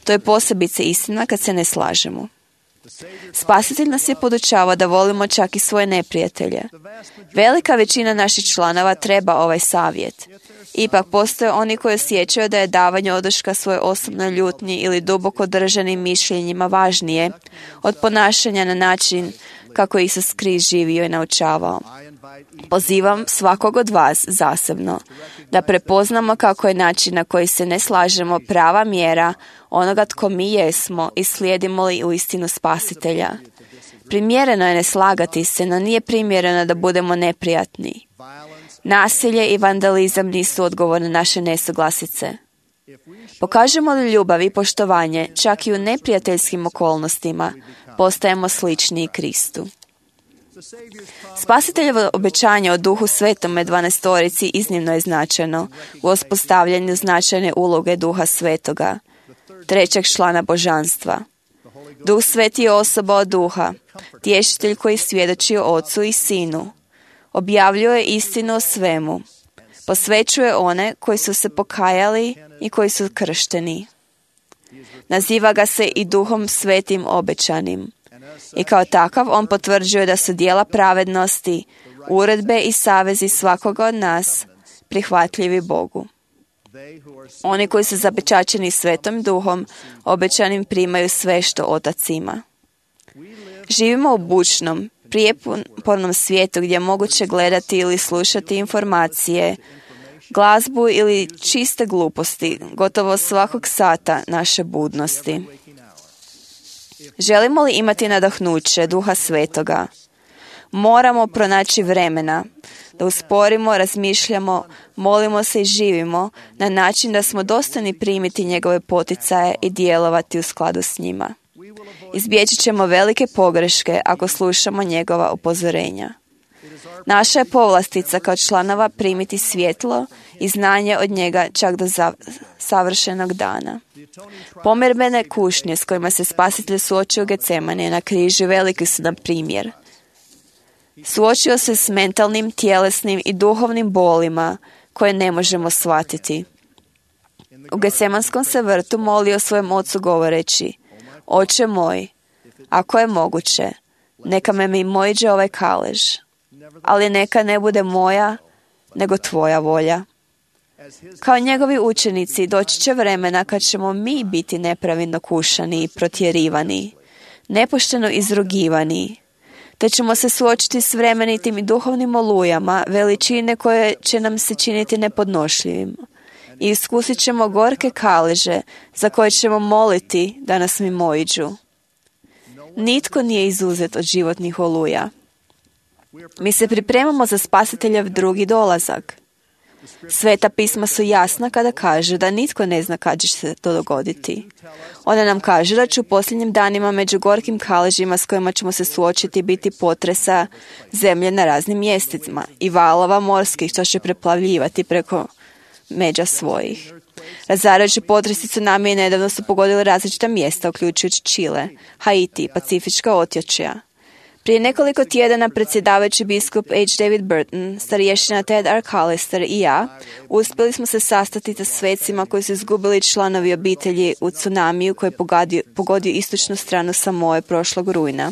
To je posebice istina kad se ne slažemo. Spasitelj nas je podučavao da volimo čak i svoje neprijatelje. Velika većina naših članova treba ovaj savjet. Ipak postoje oni koji osjećaju da je davanje oduška svoje osobnoj ljutnji ili duboko držanim mišljenjima važnije od ponašanja na način kako je Isus Krist živio i naučavao. Pozivam svakog od vas zasebno da prepoznamo kako je način na koji se ne slažemo prava mjera onoga tko mi jesmo i slijedimo li uistinu Spasitelja. Primjereno je ne slagati se, no nije primjereno da budemo neprijatni. Nasilje i vandalizam nisu odgovor na naše nesuglasice. Pokažemo li ljubav i poštovanje čak i u neprijateljskim okolnostima, postajemo sličniji Kristu. Spasiteljevo obećanje o Duhu Svetome 12 iznimno je značajno u uspostavljanju značajne uloge Duha Svetoga, trećeg člana božanstva. Duh Sveti je osoba od Duha, tješitelj koji svjedoči o Ocu i Sinu, objavljuje istinu o svemu, posvećuje one koji su se pokajali i koji su kršteni. Naziva ga se i Duhom Svetim obećanim. I kao takav on potvrđuje da su djela pravednosti, uredbe i savezi svakoga od nas prihvatljivi Bogu. Oni koji su zapečaćeni Svetom Duhom obećanim primaju sve što Otac ima. Živimo u bučnom, prijepornom svijetu gdje je moguće gledati ili slušati informacije, glazbu ili čiste gluposti, gotovo svakog sata naše budnosti. Želimo li imati nadahnuće Duha Svetoga? Moramo pronaći vremena da usporimo, razmišljamo, molimo se i živimo na način da smo dostojni primiti njegove poticaje i djelovati u skladu s njima. Izbjeći ćemo velike pogreške ako slušamo njegova upozorenja. Naša je povlastica kao članova primiti svjetlo i znanje od njega čak do savršenog dana. Pomirbene kušnje s kojima se Spasitelj suočio u Getsemani na križu veliki su nam primjer. Suočio se s mentalnim, tjelesnim i duhovnim bolima koje ne možemo shvatiti. U Getsemanskom se vrtu molio svojem ocu govoreći: Oče moj, ako je moguće, neka me mimoiđe ovaj kalež, ali neka ne bude moja, nego tvoja volja. Kao njegovi učenici doći će vremena kad ćemo mi biti nepravilno kušani i protjerivani, nepošteno izrugivani, da ćemo se suočiti s vremenitim i duhovnim olujama, veličine koje će nam se činiti nepodnošljivim. I iskusit ćemo gorke kaleže za koje ćemo moliti da nas mimoiđu. Nitko nije izuzet od životnih oluja. Mi se pripremamo za Spasiteljev drugi dolazak. Sveta pisma su jasna kada kaže da nitko ne zna kad će se to dogoditi. Ona nam kaže da će u posljednjim danima među gorkim kaležima s kojima ćemo se suočiti biti potresa zemlje na raznim mjestima i valova morskih što će preplavljivati preko međa svojih. Razarajući potresi tsunami nedavno su pogodili različita mjesta, uključujući Čile, Haiti i Pacifička otočja. Prije nekoliko tjedana predsjedavajući biskup H. David Burton, starješina Ted Arcalister i ja uspjeli smo se sastati sa svecima koji su izgubili članovi obitelji u tsunamiju koji je pogodio istočnu stranu Samoe prošlog rujna.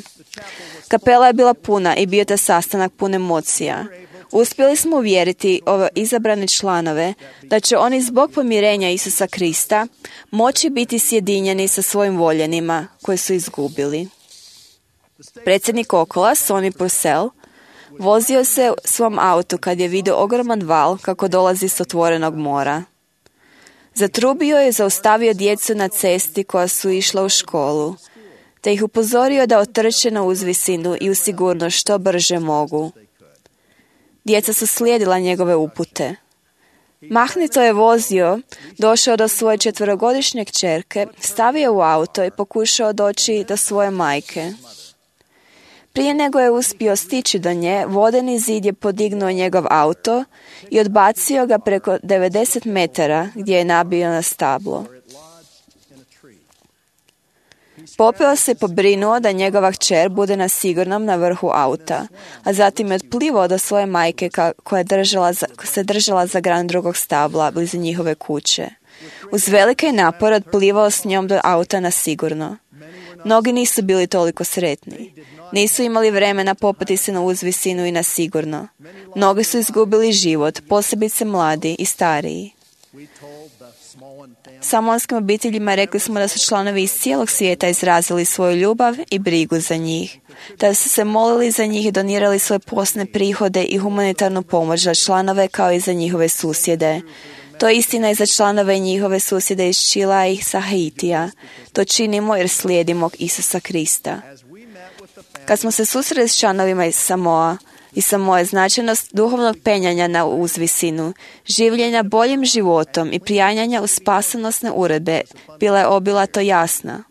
Kapela je bila puna i bio taj sastanak pun emocija. Uspjeli smo uvjeriti ove izabrane članove da će oni zbog pomirenja Isusa Krista moći biti sjedinjeni sa svojim voljenima koje su izgubili. Predsjednik Okola, Sonny Purcell, vozio se u svom autu kad je vidio ogroman val kako dolazi s otvorenog mora. Zatrubio je zaustavio djecu na cesti koja su išla u školu, te ih upozorio da otrče na uzvisinu i u sigurnost što brže mogu. Djeca su slijedila njegove upute. Mahnito je vozio, došao do svoje 4-godišnje kćerke, stavio u auto i pokušao doći do svoje majke. Prije nego je uspio stići do nje, vodeni zid je podignuo njegov auto i odbacio ga preko 90 metara gdje je nabio na stablo. Popeo se pobrinuo da njegova kćer bude na sigurnom na vrhu auta, a zatim je otplivao do svoje majke koja se držala za gran drugog stabla blizu njihove kuće. Uz velike napore otplivao s njom do auta na sigurno. Mnogi nisu bili toliko sretni. Nisu imali vremena popeti se na uzvisinu i na sigurno. Mnogi su izgubili život, posebice mladi i stariji. Samonskim obiteljima rekli smo da su članovi iz cijelog svijeta izrazili svoju ljubav i brigu za njih. Da su se molili za njih i donirali svoje posne prihode i humanitarnu pomoć za članove kao i za njihove susjede. To je istina i za članove njihove susjede iz Čila i sa Haitija. To činimo jer slijedimo Isusa Krista. Kad smo se susreli s članovima iz Samoe, značajnost duhovnog penjanja na uzvisinu, življenja boljim životom i prijanjanja u spasonosne uredbe bila je obilato jasna.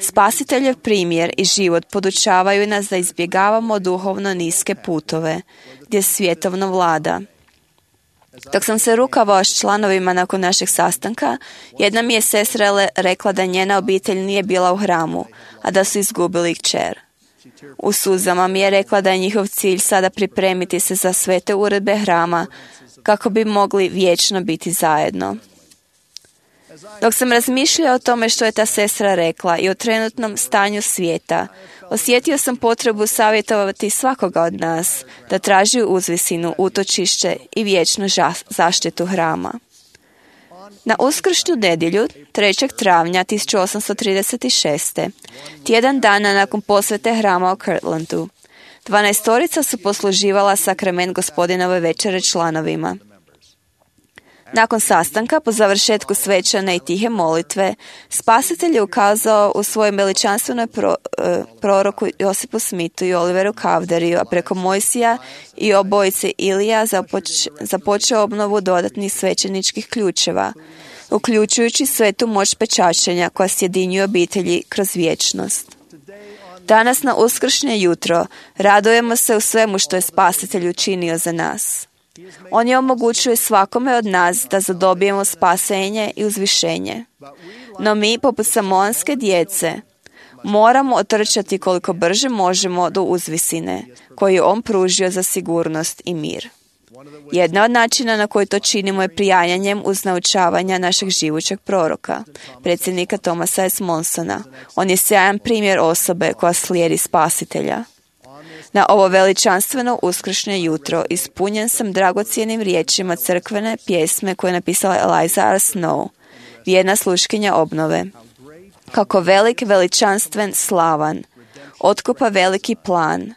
Spasiteljev primjer i život podučavaju nas da izbjegavamo duhovno niske putove, gdje svjetovno vlada. Dok sam se rukavao s članovima nakon našeg sastanka, jedna mi je sestra rekla da njena obitelj nije bila u hramu, a da su izgubili kćer. U suzama mi je rekla da je njihov cilj sada pripremiti se za svete uredbe hrama kako bi mogli vječno biti zajedno. Dok sam razmišljao o tome što je ta sestra rekla i o trenutnom stanju svijeta, osjetio sam potrebu savjetovati svakoga od nas da traži uzvisinu, utočište i vječnu zaštitu hrama. Na uskršnju nedjelju, 3. travnja 1836. tjedan dana nakon posvete hrama u Kirtlandu, 12 su posluživala sakrament Gospodinove večere članovima. Nakon sastanka, po završetku svečane i tihe molitve, Spasitelj je ukazao u svojem veličanstvenoj proroku Josipu Smithu i Oliveru Cowderiju, a preko Mojsija i obojice Ilija započeo obnovu dodatnih svećeničkih ključeva, uključujući svetu moć pečačenja koja sjedinjuje obitelji kroz vječnost. Danas na uskršnje jutro radujemo se u svemu što je Spasitelj učinio za nas. On je omogućuje svakome od nas da zadobijemo spasenje i uzvišenje. No mi, poput samoanske djece, moramo otrčati koliko brže možemo do uzvisine koju je on pružio za sigurnost i mir. Jedna od načina na koji to činimo je prijanjanjem uz naučavanja našeg živućeg proroka, predsjednika Thomasa S. Monsona. On je sjajan primjer osobe koja slijedi Spasitelja. Na ovo veličanstveno uskršnje jutro ispunjen sam dragocjenim riječima crkvene pjesme koje je napisala Eliza R. Snow, vjerna sluškinja obnove. Kako velik, veličanstven, slavan, otkupa veliki plan,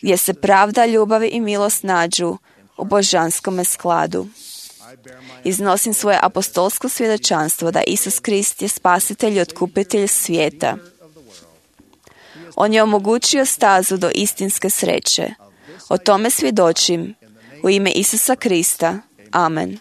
gdje se pravda, ljubav i milost nađu u božanskome skladu. Iznosim svoje apostolsko svjedočanstvo da Isus Krist je spasitelj i otkupitelj svijeta. On je omogućio stazu do istinske sreće. O tome svjedočim u ime Isusa Krista. Amen.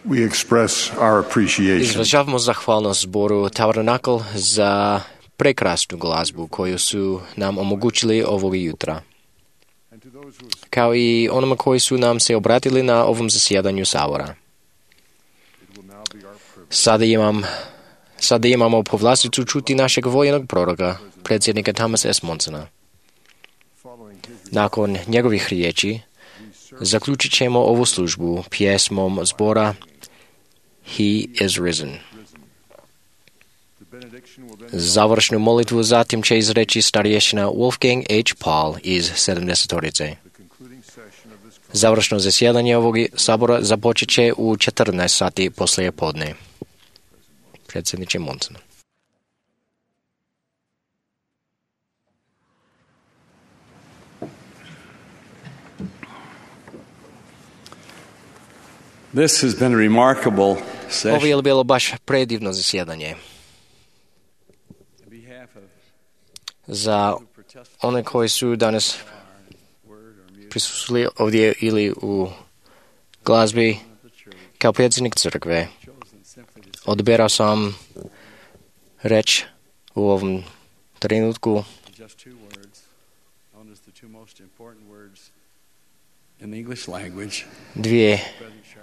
We express our appreciation Izražavamo zahvalnost zboru Tabernacle za prekrasnu glazbu koju su nam omogućili ovog jutra, kao i onima koji su nam se obratili na ovom zasjedanju sabora. Sada imamo povlasticu čuti našeg voljenog proroka, predsjednika Thomasa S. Monsona. Nakon njegovih riječi zaključit ćemo ovu službu pjesmom zbora He is risen. Završnu molitvu zatim će izreći starješina Wolfgang H. Paul iz 70-torice. Završno zasjedanje ovog sabora započet će u 14 sati poslije podne. Predsjedniče Monson. This has been a remarkable session. Ovo je bilo baš predivno zasjedanje. Za one koji su danas prisustili ovdje ili u glazbi, kao predsjednik crkve, odberao sam reč u ovom trenutku dvije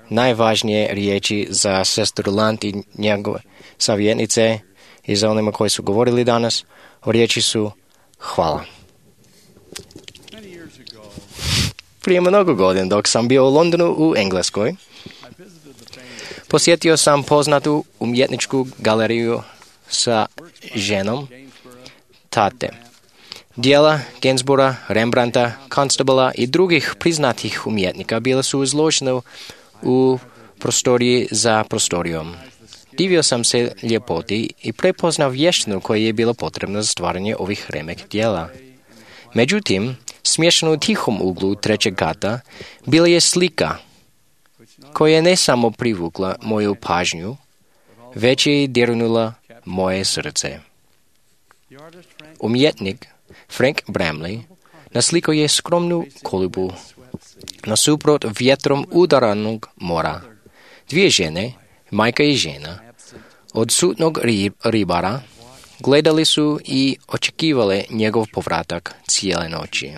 najvažnije riječi za sestru Lant i njegove savjetnice i za onima koji su govorili danas. Riječi su hvala. Prije mnogo godina, dok sam bio u Londonu u Engleskoj, posjetio sam poznatu umjetničku galeriju sa ženom tate. Dijela Gainsbourga, Rembrandta, Constabla i drugih priznatih umjetnika bila su izložena u prostoriji za prostorijom. Divio sam se ljepoti i prepoznao vještinu koja je bila potrebna za stvaranje ovih remek dijela. Međutim, smještena u tihom uglu trećeg kata bila je slika koja je ne samo privukla moju pažnju, već je dirnula moje srce. Umjetnik Frank Bramley naslikao je skromnu kolibu nasuprot vjetrom udaranog mora. Dvije žene, majka i žena, odsutnog ribara, gledali su i očekivali njegov povratak cijele noći.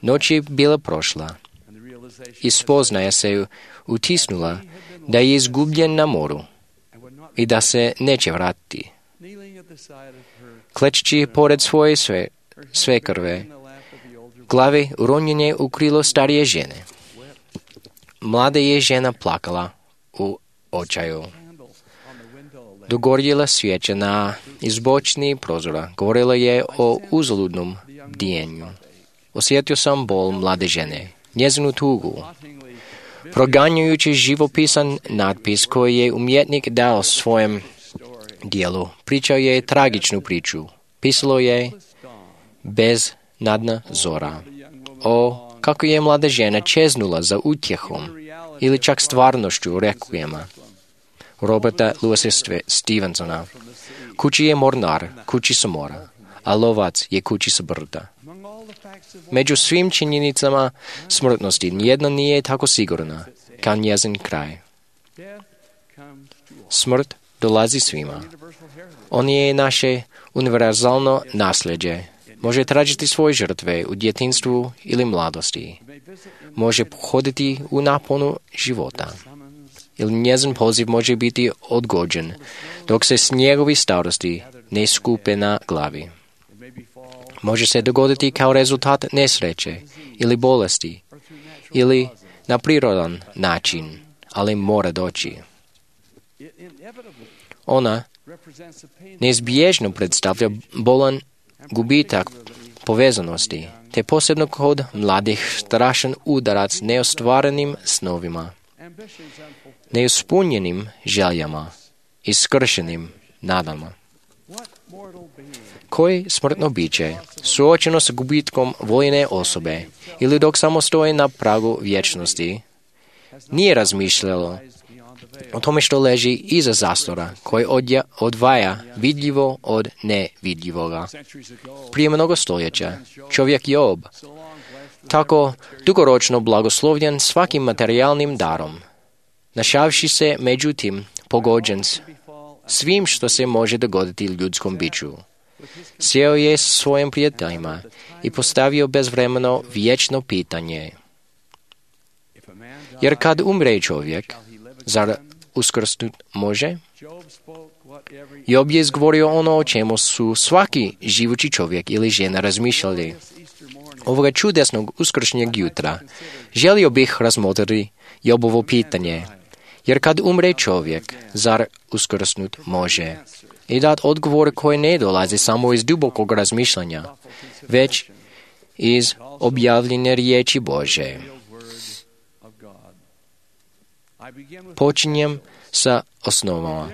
Noć je bila prošla i spoznaja se utisnula da je izgubljen na moru i da se neće vratiti. Klečeći pored svoje svekrve, glavi uronjene u krilo starije žene. Mlada je žena plakala u očaju. Dogorjela svijeća na izbočni prozora. Govorila je o uzaludnom bdijenju. Osjetio sam bol mlade žene, njezinu tugu. Proganjujući živopisan natpis koji je umjetnik dao svojem dijelu, pričao je tragičnu priču. Pisalo je beznadna zora. O, kako je mlada žena čeznula za utjehom ili čak stvarnošću rekvijema Roberta Louisa Stevensona. Kući je mornar, kući sa mora, a lovac je kući sa brda. Među svim činjenicama smrtnosti nijedna nije tako sigurna kao njezin kraj. Smrt dolazi svima. On je naše univerzalno nasljeđe. Može tražiti svoje žrtve u djetinjstvu ili mladosti. Može pohoditi u naponu života. Ili njezin poziv može biti odgođen, dok se snjegovi starosti ne skupe na glavi. Može se dogoditi kao rezultat nesreće ili bolesti, ili na prirodan način, ali mora doći. Ona neizbježno predstavlja bolan gubitak povezanosti, te posebno kod mladih strašan udarac neostvarenim snovima, neuspunjenim željama i skršenim nadama. Koje smrtno biće, suočeno sa gubitkom voljene osobe ili dok samo stoji na pragu vječnosti, nije razmišljalo o tome što leži iza zastora koji odvaja vidljivo od nevidljivoga. Prije mnogo stoljeća čovjek Job, tako dugoročno blagoslovljen svakim materijalnim darom, Našavši se međutim pogođen svim što se može dogoditi ljudskom biću. Sjeo je s svojim prijateljima i postavio bezvremeno vječno pitanje. Jer kad umre čovjek, zar uskrsnut može? Job je izgovorio ono o čemu su svaki živući čovjek ili žena razmišljali. Ovoga čudesnog uskršnjeg jutra želio bih razmotriti Jobovo pitanje. Jer kad umre čovjek, zar uskrsnut može? I dat odgovor koji ne dolazi samo iz dubokog razmišljanja, već iz objavljene riječi Bože. Počinjem sa osnovama.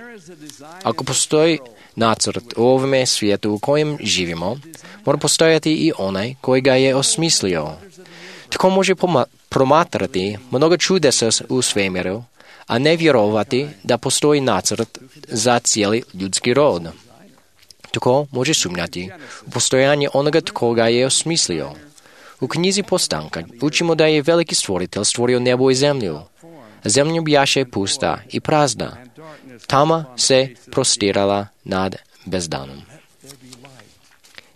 Ako postoji nacrt u ovome svijetu u kojem živimo, mora postojati i onaj koji ga je osmislio. Tko može promatrati mnogo čudesa u svemiru, a ne vjerovati da postoji nacrt za cijeli ljudski rod? Tko može sumnjati u postojanje onoga tko ga je osmislio? U knjizi Postanka učimo da je veliki stvoritelj stvorio nebo i zemlju. Zemlja bjaše pusta i prazna. Tama se prostirala nad bezdanom.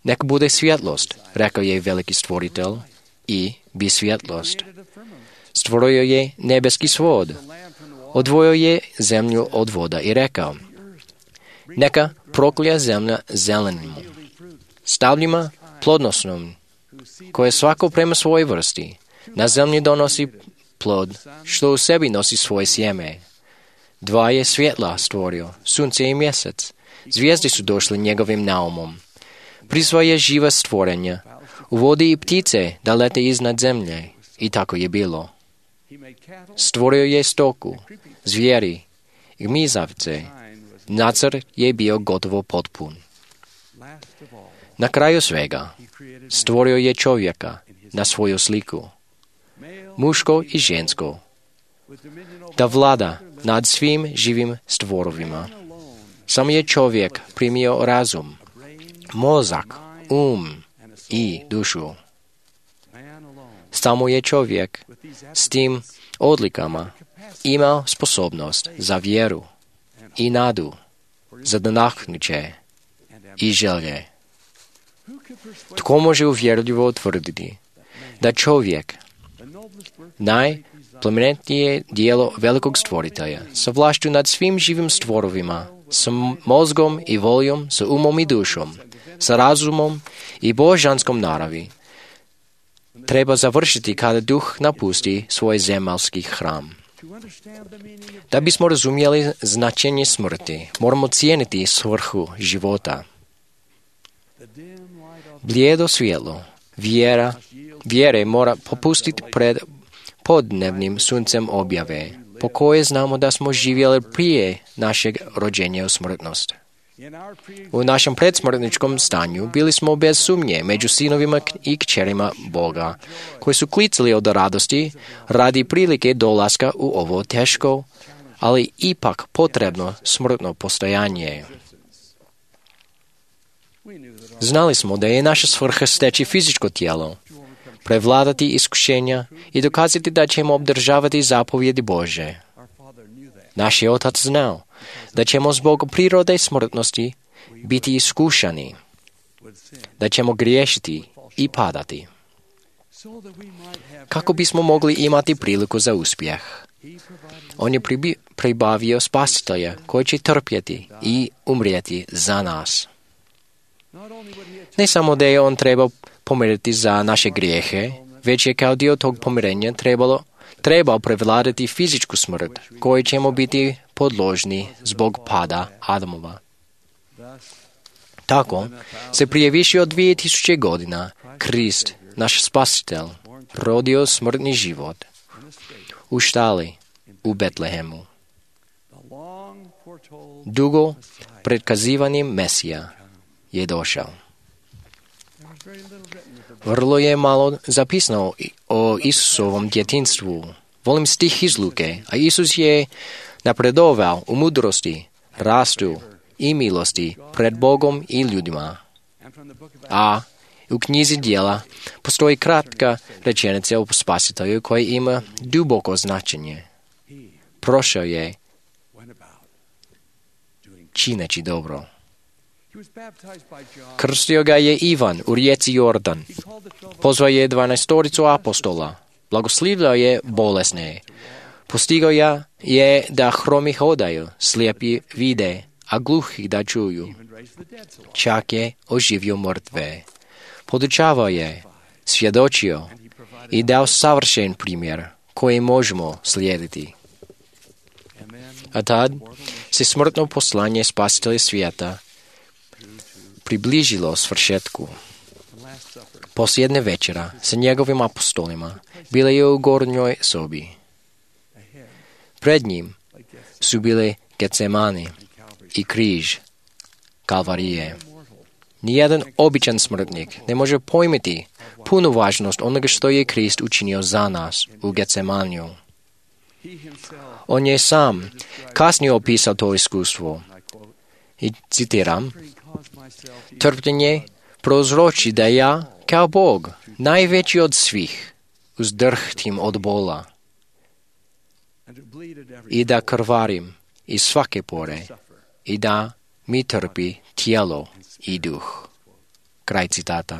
Nek bude svjetlost, rekao je veliki stvoritelj, i bi svjetlost. Stvorio je nebeski svod. Odvojio je zemlju od voda i rekao, neka proklja zemlja zelenim, stabljima plodnosnom, koje svako prema svojoj vrsti. Na zemlji donosi plod, što u sebi nosi svoje sjeme. Dva je svjetla stvorio, sunce i mjesec. Zvijezde su došle njegovim naumom. Prizvao je živa stvorenja, uvodi i ptice da lete iznad zemlje. I tako je bilo. Stvorio je stoku, zvijeri, gmizavce. Nacrt je bio gotovo potpun. Na kraju svega, stvorio je čovjeka na svoju sliku, muško i žensko, da vlada nad svim živim stvorovima. Samo je čovjek primio razum, mozak, i dušu. Samo je čovjek s tim odlikama imao sposobnost za vjeru i nadu, za nadahnuće i želje. Tko može uvjerljivo utvrditi da čovjek, najplemenitije dijelo velikog stvoritelja, sa vlašću nad svim živim stvorovima, sa mozgom i voljom, sa umom i dušom, sa razumom i božanskom naravi, treba završiti kada duh napusti svoj zemaljski hram. Da bismo razumjeli značenje smrti, moramo cijeniti svrhu života. Blijedo svjetlo vjere mora popustiti pred podnevnim suncem objave, po koje znamo da smo živjeli prije našeg rođenja u smrtnost. U našem predsmrtničkom stanju bili smo bez sumnje među sinovima i kćerima Boga, koji su klicali od radosti radi prilike dolaska u ovo teško, ali ipak potrebno smrtno postojanje. Znali smo da je naša svrha steći fizičko tijelo, prevladati iskušenja i dokazati da ćemo obdržavati zapovjedi Bože. Naš je Otac znao da ćemo zbog prirode smrtnosti biti iskušani, da ćemo griješiti i padati. Kako bismo mogli imati priliku za uspjeh? On je pribavio spasitelja koji će trpjeti i umrijeti za nas. Ne samo da je on trebao pomiriti za naše grijehe, već je kao dio tog pomirenja trebao prevladati fizičku smrt, kojoj ćemo biti podložni zbog pada Adamova. Tako se prije više od 2000 godina Krist, naš spasitelj, rodio smrtni život u štali u Betlehemu. Dugo predkazivani Mesija je došao. Vrlo je malo zapisano o Isusovom djetinjstvu. Volim stih iz Luke, a Isus je napredovao u mudrosti, rastu i milosti pred Bogom i ljudima. A u knjizi Djela postoji kratka rečenica o spasitelju koja ima duboko značenje. prošao je čineći dobro. Krstio ga je Ivan u rijeci Jordan. Pozvao je 12 apostola. Blagoslivljao je bolesne. Postigao je da hromi hodaju, slijepi vide, a gluhi da čuju. Čak je oživio mrtve. Podučavao je, svjedočio i dao savršen primjer koji možemo slijediti. A tad se smrtno poslanje Spasitelja svijeta približilo svršetku. Posljednje večera sa njegovim apostolima bila je u gornjoj sobi. Pred njim su bile Getsemani i križ Kalvarije. Nijedan običan smrtnik ne može pojmiti punu važnost onoga što je Krist učinio za nas u Getsemaniju. On je sam kasnije opisao to iskustvo. I citiram, trpljenje prouzroči da ja, kao Bog, najveći od svih, uzdrhtim od bola i da krvarim iz svake pore i da mi trpi tijelo i duh. Kraj citata.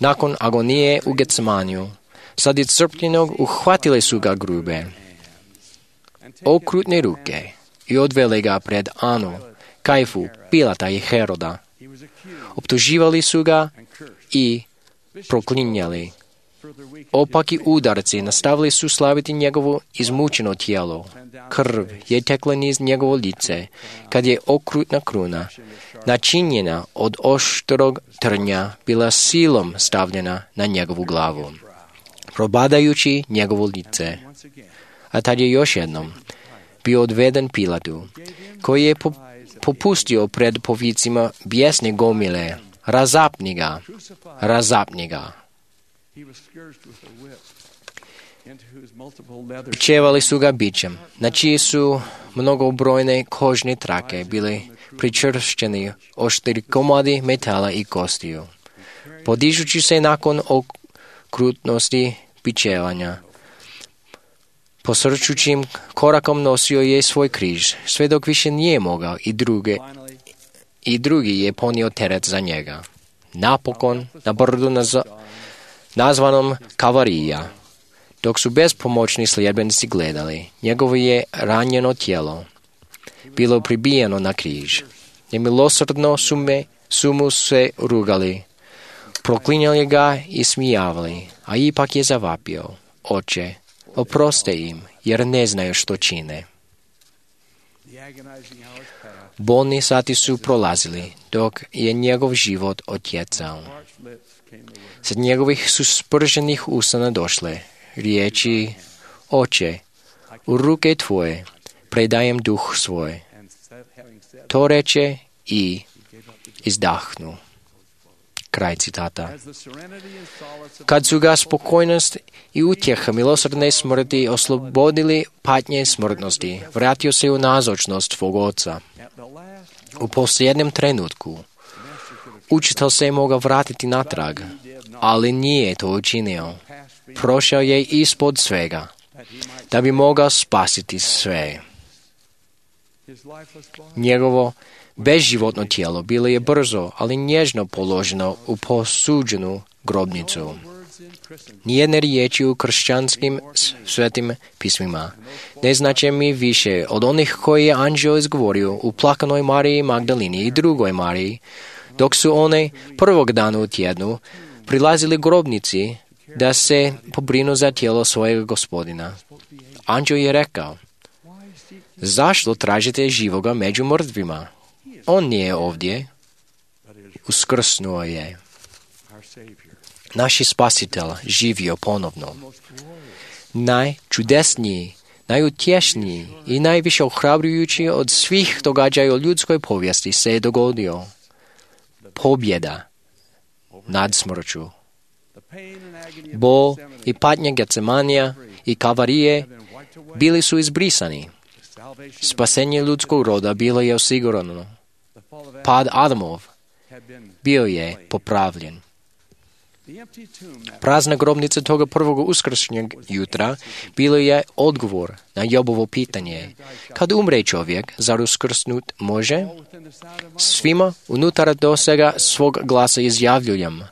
Nakon agonije u Getsemaniju, sad iscrpljenog uhvatile su ga grube, okrutne ruke i odvele ga pred Anu, Kajfu, Pilata i Heroda. Optuživali su ga i proklinjali. Opaki udarci nastavili su slaviti njegovo izmučeno tijelo. Krv je tekla niz njegovo lice, kad je okrutna kruna, načinjena od oštrog trnja, bila silom stavljena na njegovu glavu, probadajući njegovo lice. A tad je još jednom bio odveden Pilatu, koji je popustio pred povicima bijesne gomile. Razapni ga. Bičevali su ga bičem, na čiji su mnogobrojne kožne trake bili pričvršćeni oštri komadi metala i kostiju. Podižući se nakon okrutnosti bičevanja, posrčućim korakom nosio je svoj križ, sve dok više nije mogao i drugi je ponio teret za njega. Napokon, na brdu nazvanom Kalvarija, dok su bezpomoćni sljedbenici gledali, njegovo je ranjeno tijelo bilo pribijeno na križ. Nemilosrdno su mu se rugali, proklinjali ga i smijavali, a ipak je zavapio, Oče, oproste im, jer ne znaju što čine. Bolni sati su prolazili, dok je njegov život otjecao. Sa njegovih su sprženih usana došle riječi, Oče, u ruke tvoje predajem duh svoj. To reče i izdahnu. Kraj citata. Kad su ga spokojnost i utjeha milosrdne smrti oslobodili patnje smrtnosti, vratio se u nazočnost svog oca. U posljednjem trenutku učitelj se je mogao vratiti natrag, ali nije to učinio. Prošao je ispod svega, da bi mogao spasiti sve. Njegovo bezživotno tijelo bilo je brzo, ali nježno položeno u posuđenu grobnicu. Nijedne riječi u kršćanskim svetim pismima ne znače mi više od onih koje je anđeo izgovorio u plakanoj Mariji Magdalini i drugoj Mariji, dok su one prvog dana u tjednu prilazili grobnici da se pobrinu za tijelo svojeg Gospodina. Anđeo je rekao, zašto tražite živoga među mrtvima? On nije ovdje, uskrsnuo je. Naš Spasitelj živio ponovno. Najčudesniji, najutješniji i najviše ohrabrujući od svih događaja u ljudskoj povijesti se je dogodio. Pobjeda nad smrću. Bol i patnja Getsemanija i Kalvarije bili su izbrisani. Spasenje ljudskog roda bilo je osigurano. Pad Adamov bio je popravljen. Prazna grobnica toga prvog uskršnjeg jutra bilo je odgovor na Jobovo pitanje. Kad umre čovjek, zar uskrsnut može? Svima unutar dosega svog glasa izjavljujem.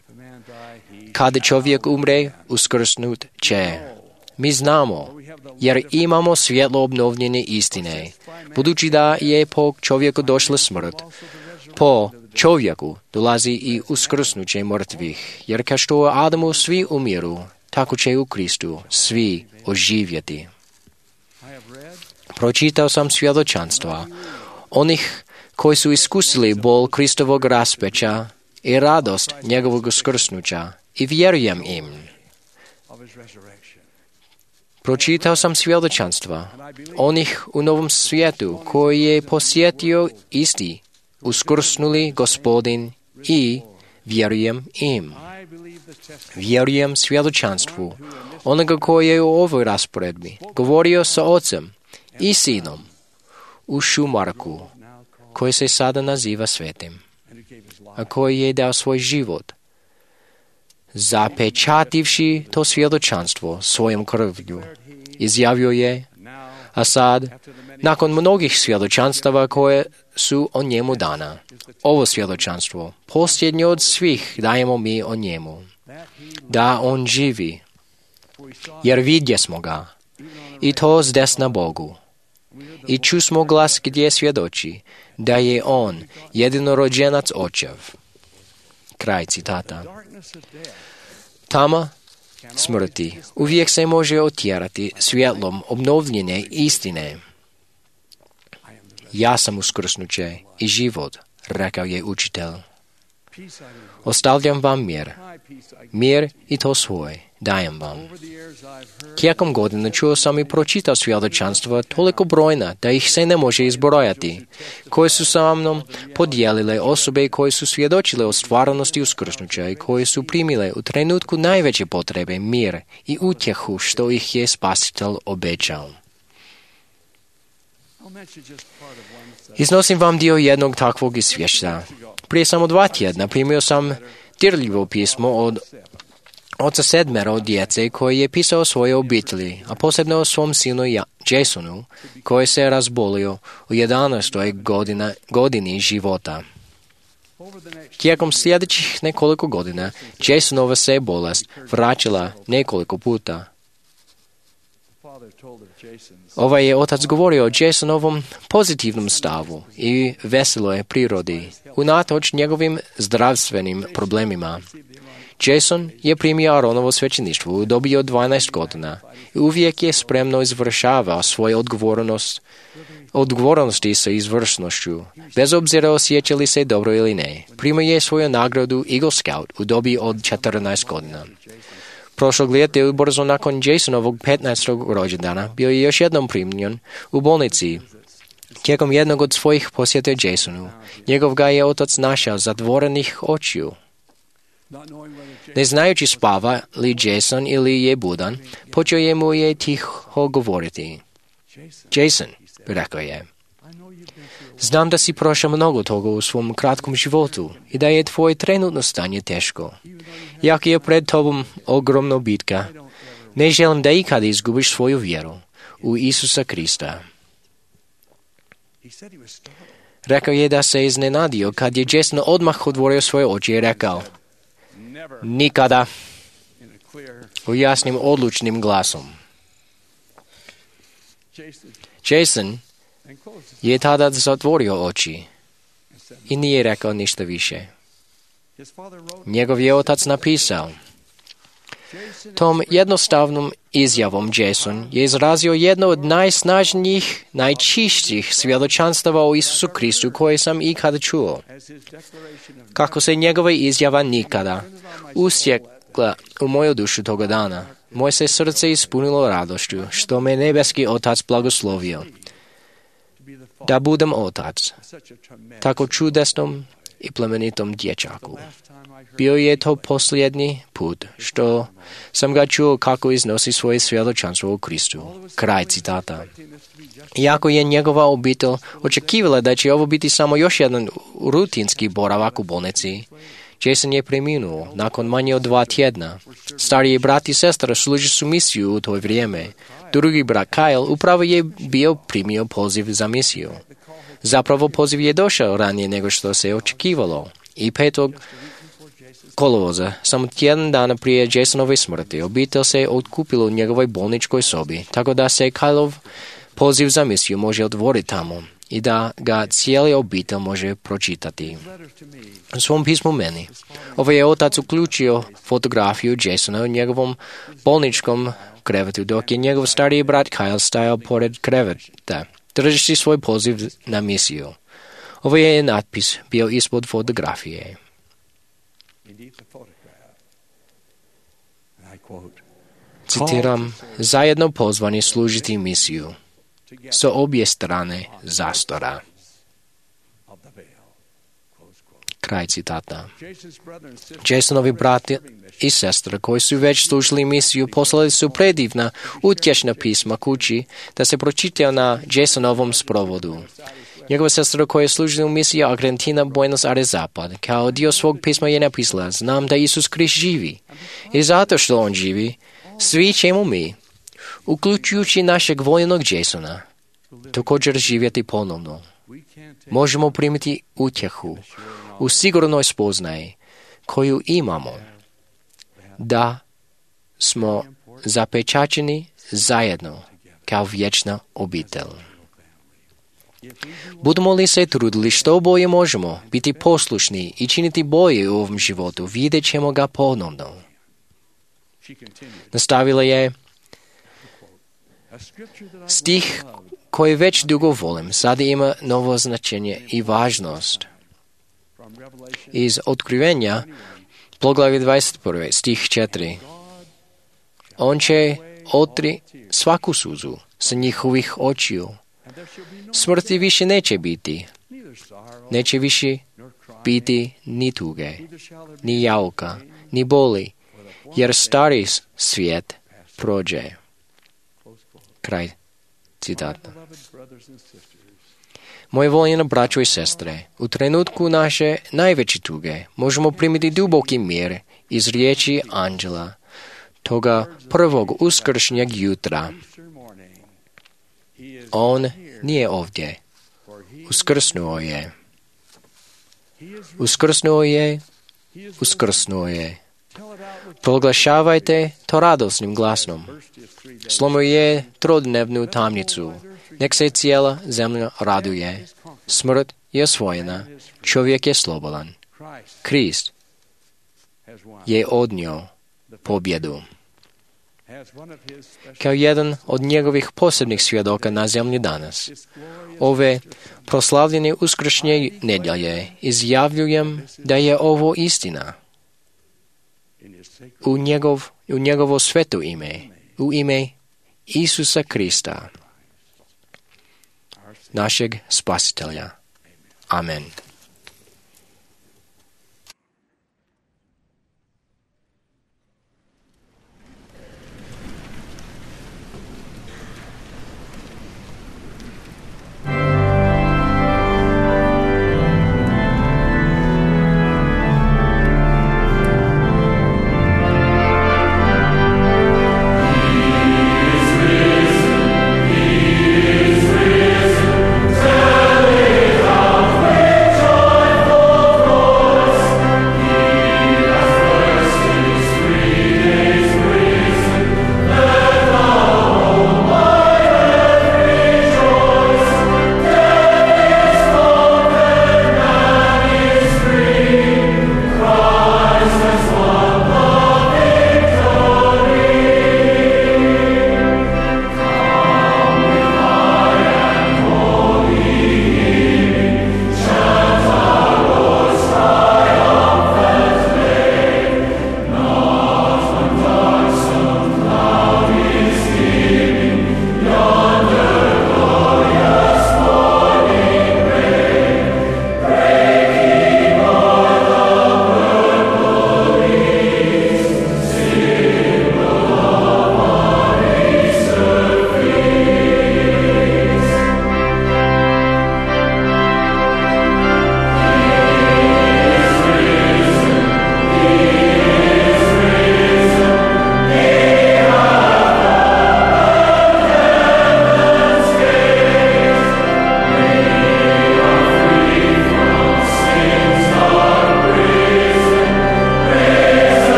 Kad čovjek umre, uskrsnut će. Mi znamo, jer imamo svjetlo obnovljene istine. Budući da je po čovjeku došla smrt, po čovjeku dolazi i uskrsnuće mrtvih, jer kao što u Adamu svi umiru, tako će u Kristu svi oživjeti. Pročitao sam svjedočanstva onih koji su iskusili bol Kristovog raspeća i radost njegovog uskrsnuća i vjerujem im. Pročitao sam svjedočanstva onih u Novom svijetu koji je posjetio isti uskrsnuli Gospodin i vjerujem im. Vjerujem svjedočanstvu onoga koji je u ovoj rasporedbi govorio sa Ocem i Sinom u Šumarku, koji se sada naziva Svetim, a koji je dao svoj život, zapečativši to svjedočanstvo svojom krvlju. Izjavio je, a sad, nakon mnogih svjedočanstava koje su o njemu dana, ovo svjedočanstvo, posljednje od svih, dajemo mi o njemu, da on živi, jer vidjesmo ga, i to zdesna Bogu. I čusmo glas gdje svjedoči, da je on jedinorođenac Očev. Kraj citata. Tama smrti uvijek se može otjerati svjetlom obnovljene istine. Ja sam uskrsnuće i život, rekao je učitelj. Ostavljam vam mir i to svoj, dajem vam. Tijekom godina čuo sam i pročitao svjedočanstva toliko brojna da ih se ne može izbrojati, koje su sa mnom podijelile osobe koje su svjedočile o stvarnosti uskrsnuća i koje su primile u trenutku najveće potrebe mir i utjehu što ih je Spasitelj obećao. Iznosim vam dio jednog takvog izvješća. Prije samo 2 tjedna primio sam dirljivo pismo od oca 7 djece koji je pisao o svojoj obitelji, a posebno o svom sinu Jasonu, koji se razbolio u 11. godini života. Tijekom sljedećih nekoliko godina Jasonova se bolest vraćala nekoliko puta. Ovaj je otac govorio o Jasonovom pozitivnom stavu i veseloj prirodi, unatoč njegovim zdravstvenim problemima. Jason je primio Aaronovo svećeništvo u dobi od 12 godina i uvijek je spremno izvršavao svoje odgovornosti sa izvrsnošću, bez obzira osjeća li se dobro ili ne. Primio je svoju nagradu Eagle Scout u dobi od 14 godina. Prošlog ljeta, ubrzo nakon Jasonovog 15. rođendana, bio je još jednom primljen u bolnici. Tijekom jednog od svojih posjeta Jasonu, njegov ga je otac našao zatvorenih očiju. Ne znajući spava li Jason ili je budan, počeo je mu je tiho govoriti. Jason, rekao je, znam da si prošao mnogo toga u svom kratkom životu i da je tvoje trenutno stanje teško. Jak je pred tobom ogromna bitka, ne želim da ikada izgubiš svoju vjeru u Isusa Krista. Rekao je da se iznenadio kad je Jason odmah otvorio svoje oči i rekao, nikada, u jasnim odlučnim glasom. Jason je tada zatvorio oči i nije rekao ništa više. Njegov je otac napisao, tom jednostavnom izjavom Jason je izrazio jedno od najsnažnijih, najčišćih svjedočanstava o Isusu Kristu koje sam ikada čuo. Kako se njegova izjava nikada usjekla u moju dušu toga dana, moje se srce ispunilo radošću, što me nebeski otac blagoslovio. Da budem otac, tako čudesnom i plemenitom dječaku. Bio je to posljednji put što sam ga čuo kako iznosi svoje svjedočanstvo u Kristu. Kraj citata. Iako je njegova obitelj očekivala da će ovo biti samo još jedan rutinski boravak u bolnici, Jason je preminuo nakon manje od 2 tjedna. Stariji brat i sestra služi su misiju u to vrijeme. Drugi brat Kyle upravo je bio primio poziv za misiju. Zapravo poziv je došao ranije nego što se očekivalo. I 5. kolovoza, samo tjedan dana prije Jasonove smrti, obitelj se otkupila u njegovoj bolničkoj sobi, tako da se Kyleov poziv za misiju može otvoriti tamo i da ga cijeli obitelj može pročitati. U svom pismu meni, je otac uključio fotografiju Jasona u njegovom bolničkom krevetu, dok je njegov stariji brat Kyle stajao pored kreveta, držeći svoj poziv na misiju. Je natpis bio ispod fotografije. Citiram, zajedno pozvani služiti misiju sa obje strane zastora. Kraj citata. Jasonovi brati i sestre koji su već služili misiju poslali su predivna, utješna pisma kući da se pročitaju na Jasonovom sprovodu. Njegova sestra koja je služila u misiji Argentina, Buenos Aires Zapad, kao dio svog pisma je napisala, znam da Isus Krist živi. I zato što on živi, svi ćemo mi, uključujući našeg voljenog Jasona, također živjeti ponovno. Možemo primiti utjehu u sigurnoj spoznaji koju imamo da smo zapečaćeni zajedno kao vječna obitelj. Budemo li se trudili što bolje možemo, biti poslušni i činiti bolje u ovom životu, vidjet ćemo ga ponovno. Nastavila je, stih koji već dugo volim, sada ima novo značenje i važnost. Iz Otkrivenja, poglavlje 21, stih 4. On će otri svaku suzu sa njihovih očiju. Smrti više neće biti. Neće više biti ni tuge, ni jauka, ni boli, jer stari svijet prođe. Kraj citata. Moje voljene braćo i sestre, u trenutku naše najveće tuge možemo primiti duboki mir iz riječi anđela, toga prvog uskršnjeg jutra. On nije ovdje. Uskrsnuo je. Uskrsnuo je. Uskrsnuo je. Proglašavajte to radosnim glasnom. Slomio je trodnevnu tamnicu. Nek se cijela zemlja raduje. Smrt je osvojena. Čovjek je slobodan. Krist je odnio pobjedu. Kao jedan od njegovih posebnih svjedoka na zemlji danas, ove proslavljene uskršnje nedjelje izjavljujem da je ovo istina. U njegovo sveto ime, u ime Isusa Krista, našeg Spasitelja. Amen. Victory!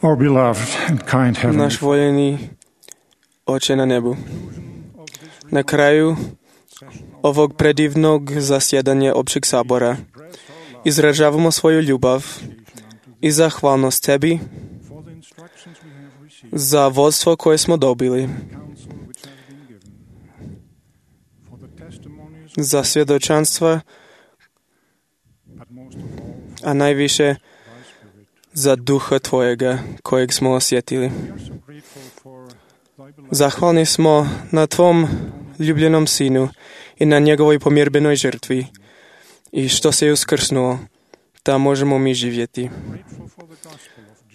Our beloved and kind Heavenly Naš voljeni Oče na nebu, na kraju ovog predivnog zasjedanja općeg sabora izražavamo svoju ljubav i zahvalnost Tebi za vodstvo koje smo dobili, za svjedočanstva, a najviše za duha Tvojega kojeg smo osjetili. Zahvalni smo na Tvom ljubljenom Sinu i na njegovoj pomirbenoj žrtvi i što se je uskrsnuo, da možemo mi živjeti.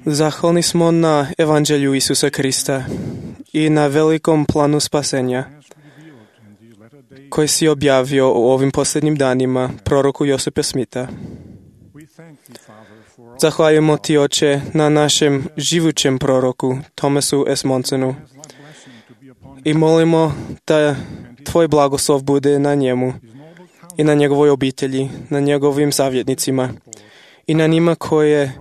Zahvalni smo na Evanđelju Isusa Krista i na velikom planu spasenja koji si objavio u ovim posljednjim danima proroku Josipa Smitha. Zahvaljujemo Ti, Oče, na našem živućem proroku Thomasu S. Monsonu i molimo da Tvoj blagoslov bude na njemu i na njegovoj obitelji, na njegovim savjetnicima i na njima koje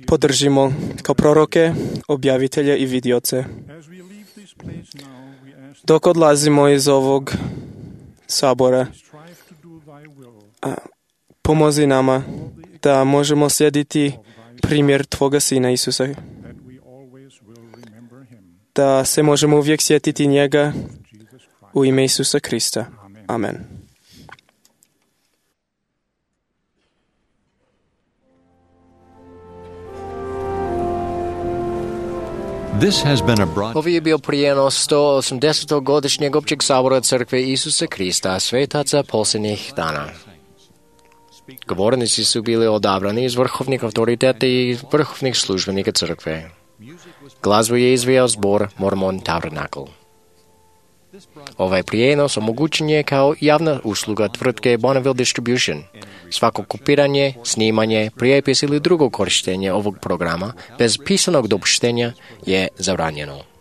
podržimo kao proroke, objavitelje i vidioce. Dok odlazimo iz ovog sabora, pomozi nama da možemo slijediti primjer Tvoga Sina Isusa, da se možemo uvijek sjetiti njega u ime Isusa Krista. Amen. This has been a broad... Ovo je bio prijenos 180. godišnjeg općeg sabora Crkve Isusa Krista, svetaca posljednjih dana. Govornici su bili odabrani iz vrhovnih autoriteta i vrhovnih službenika Crkve. Glazbu je izvijao zbor Mormon Tabernacle. Ovaj prijenos omogućen je kao javna usluga tvrtke Bonneville Distribution. Svako kopiranje, snimanje, prijepis ili drugo korištenje ovog programa bez pisanog dopuštenja je zabranjeno.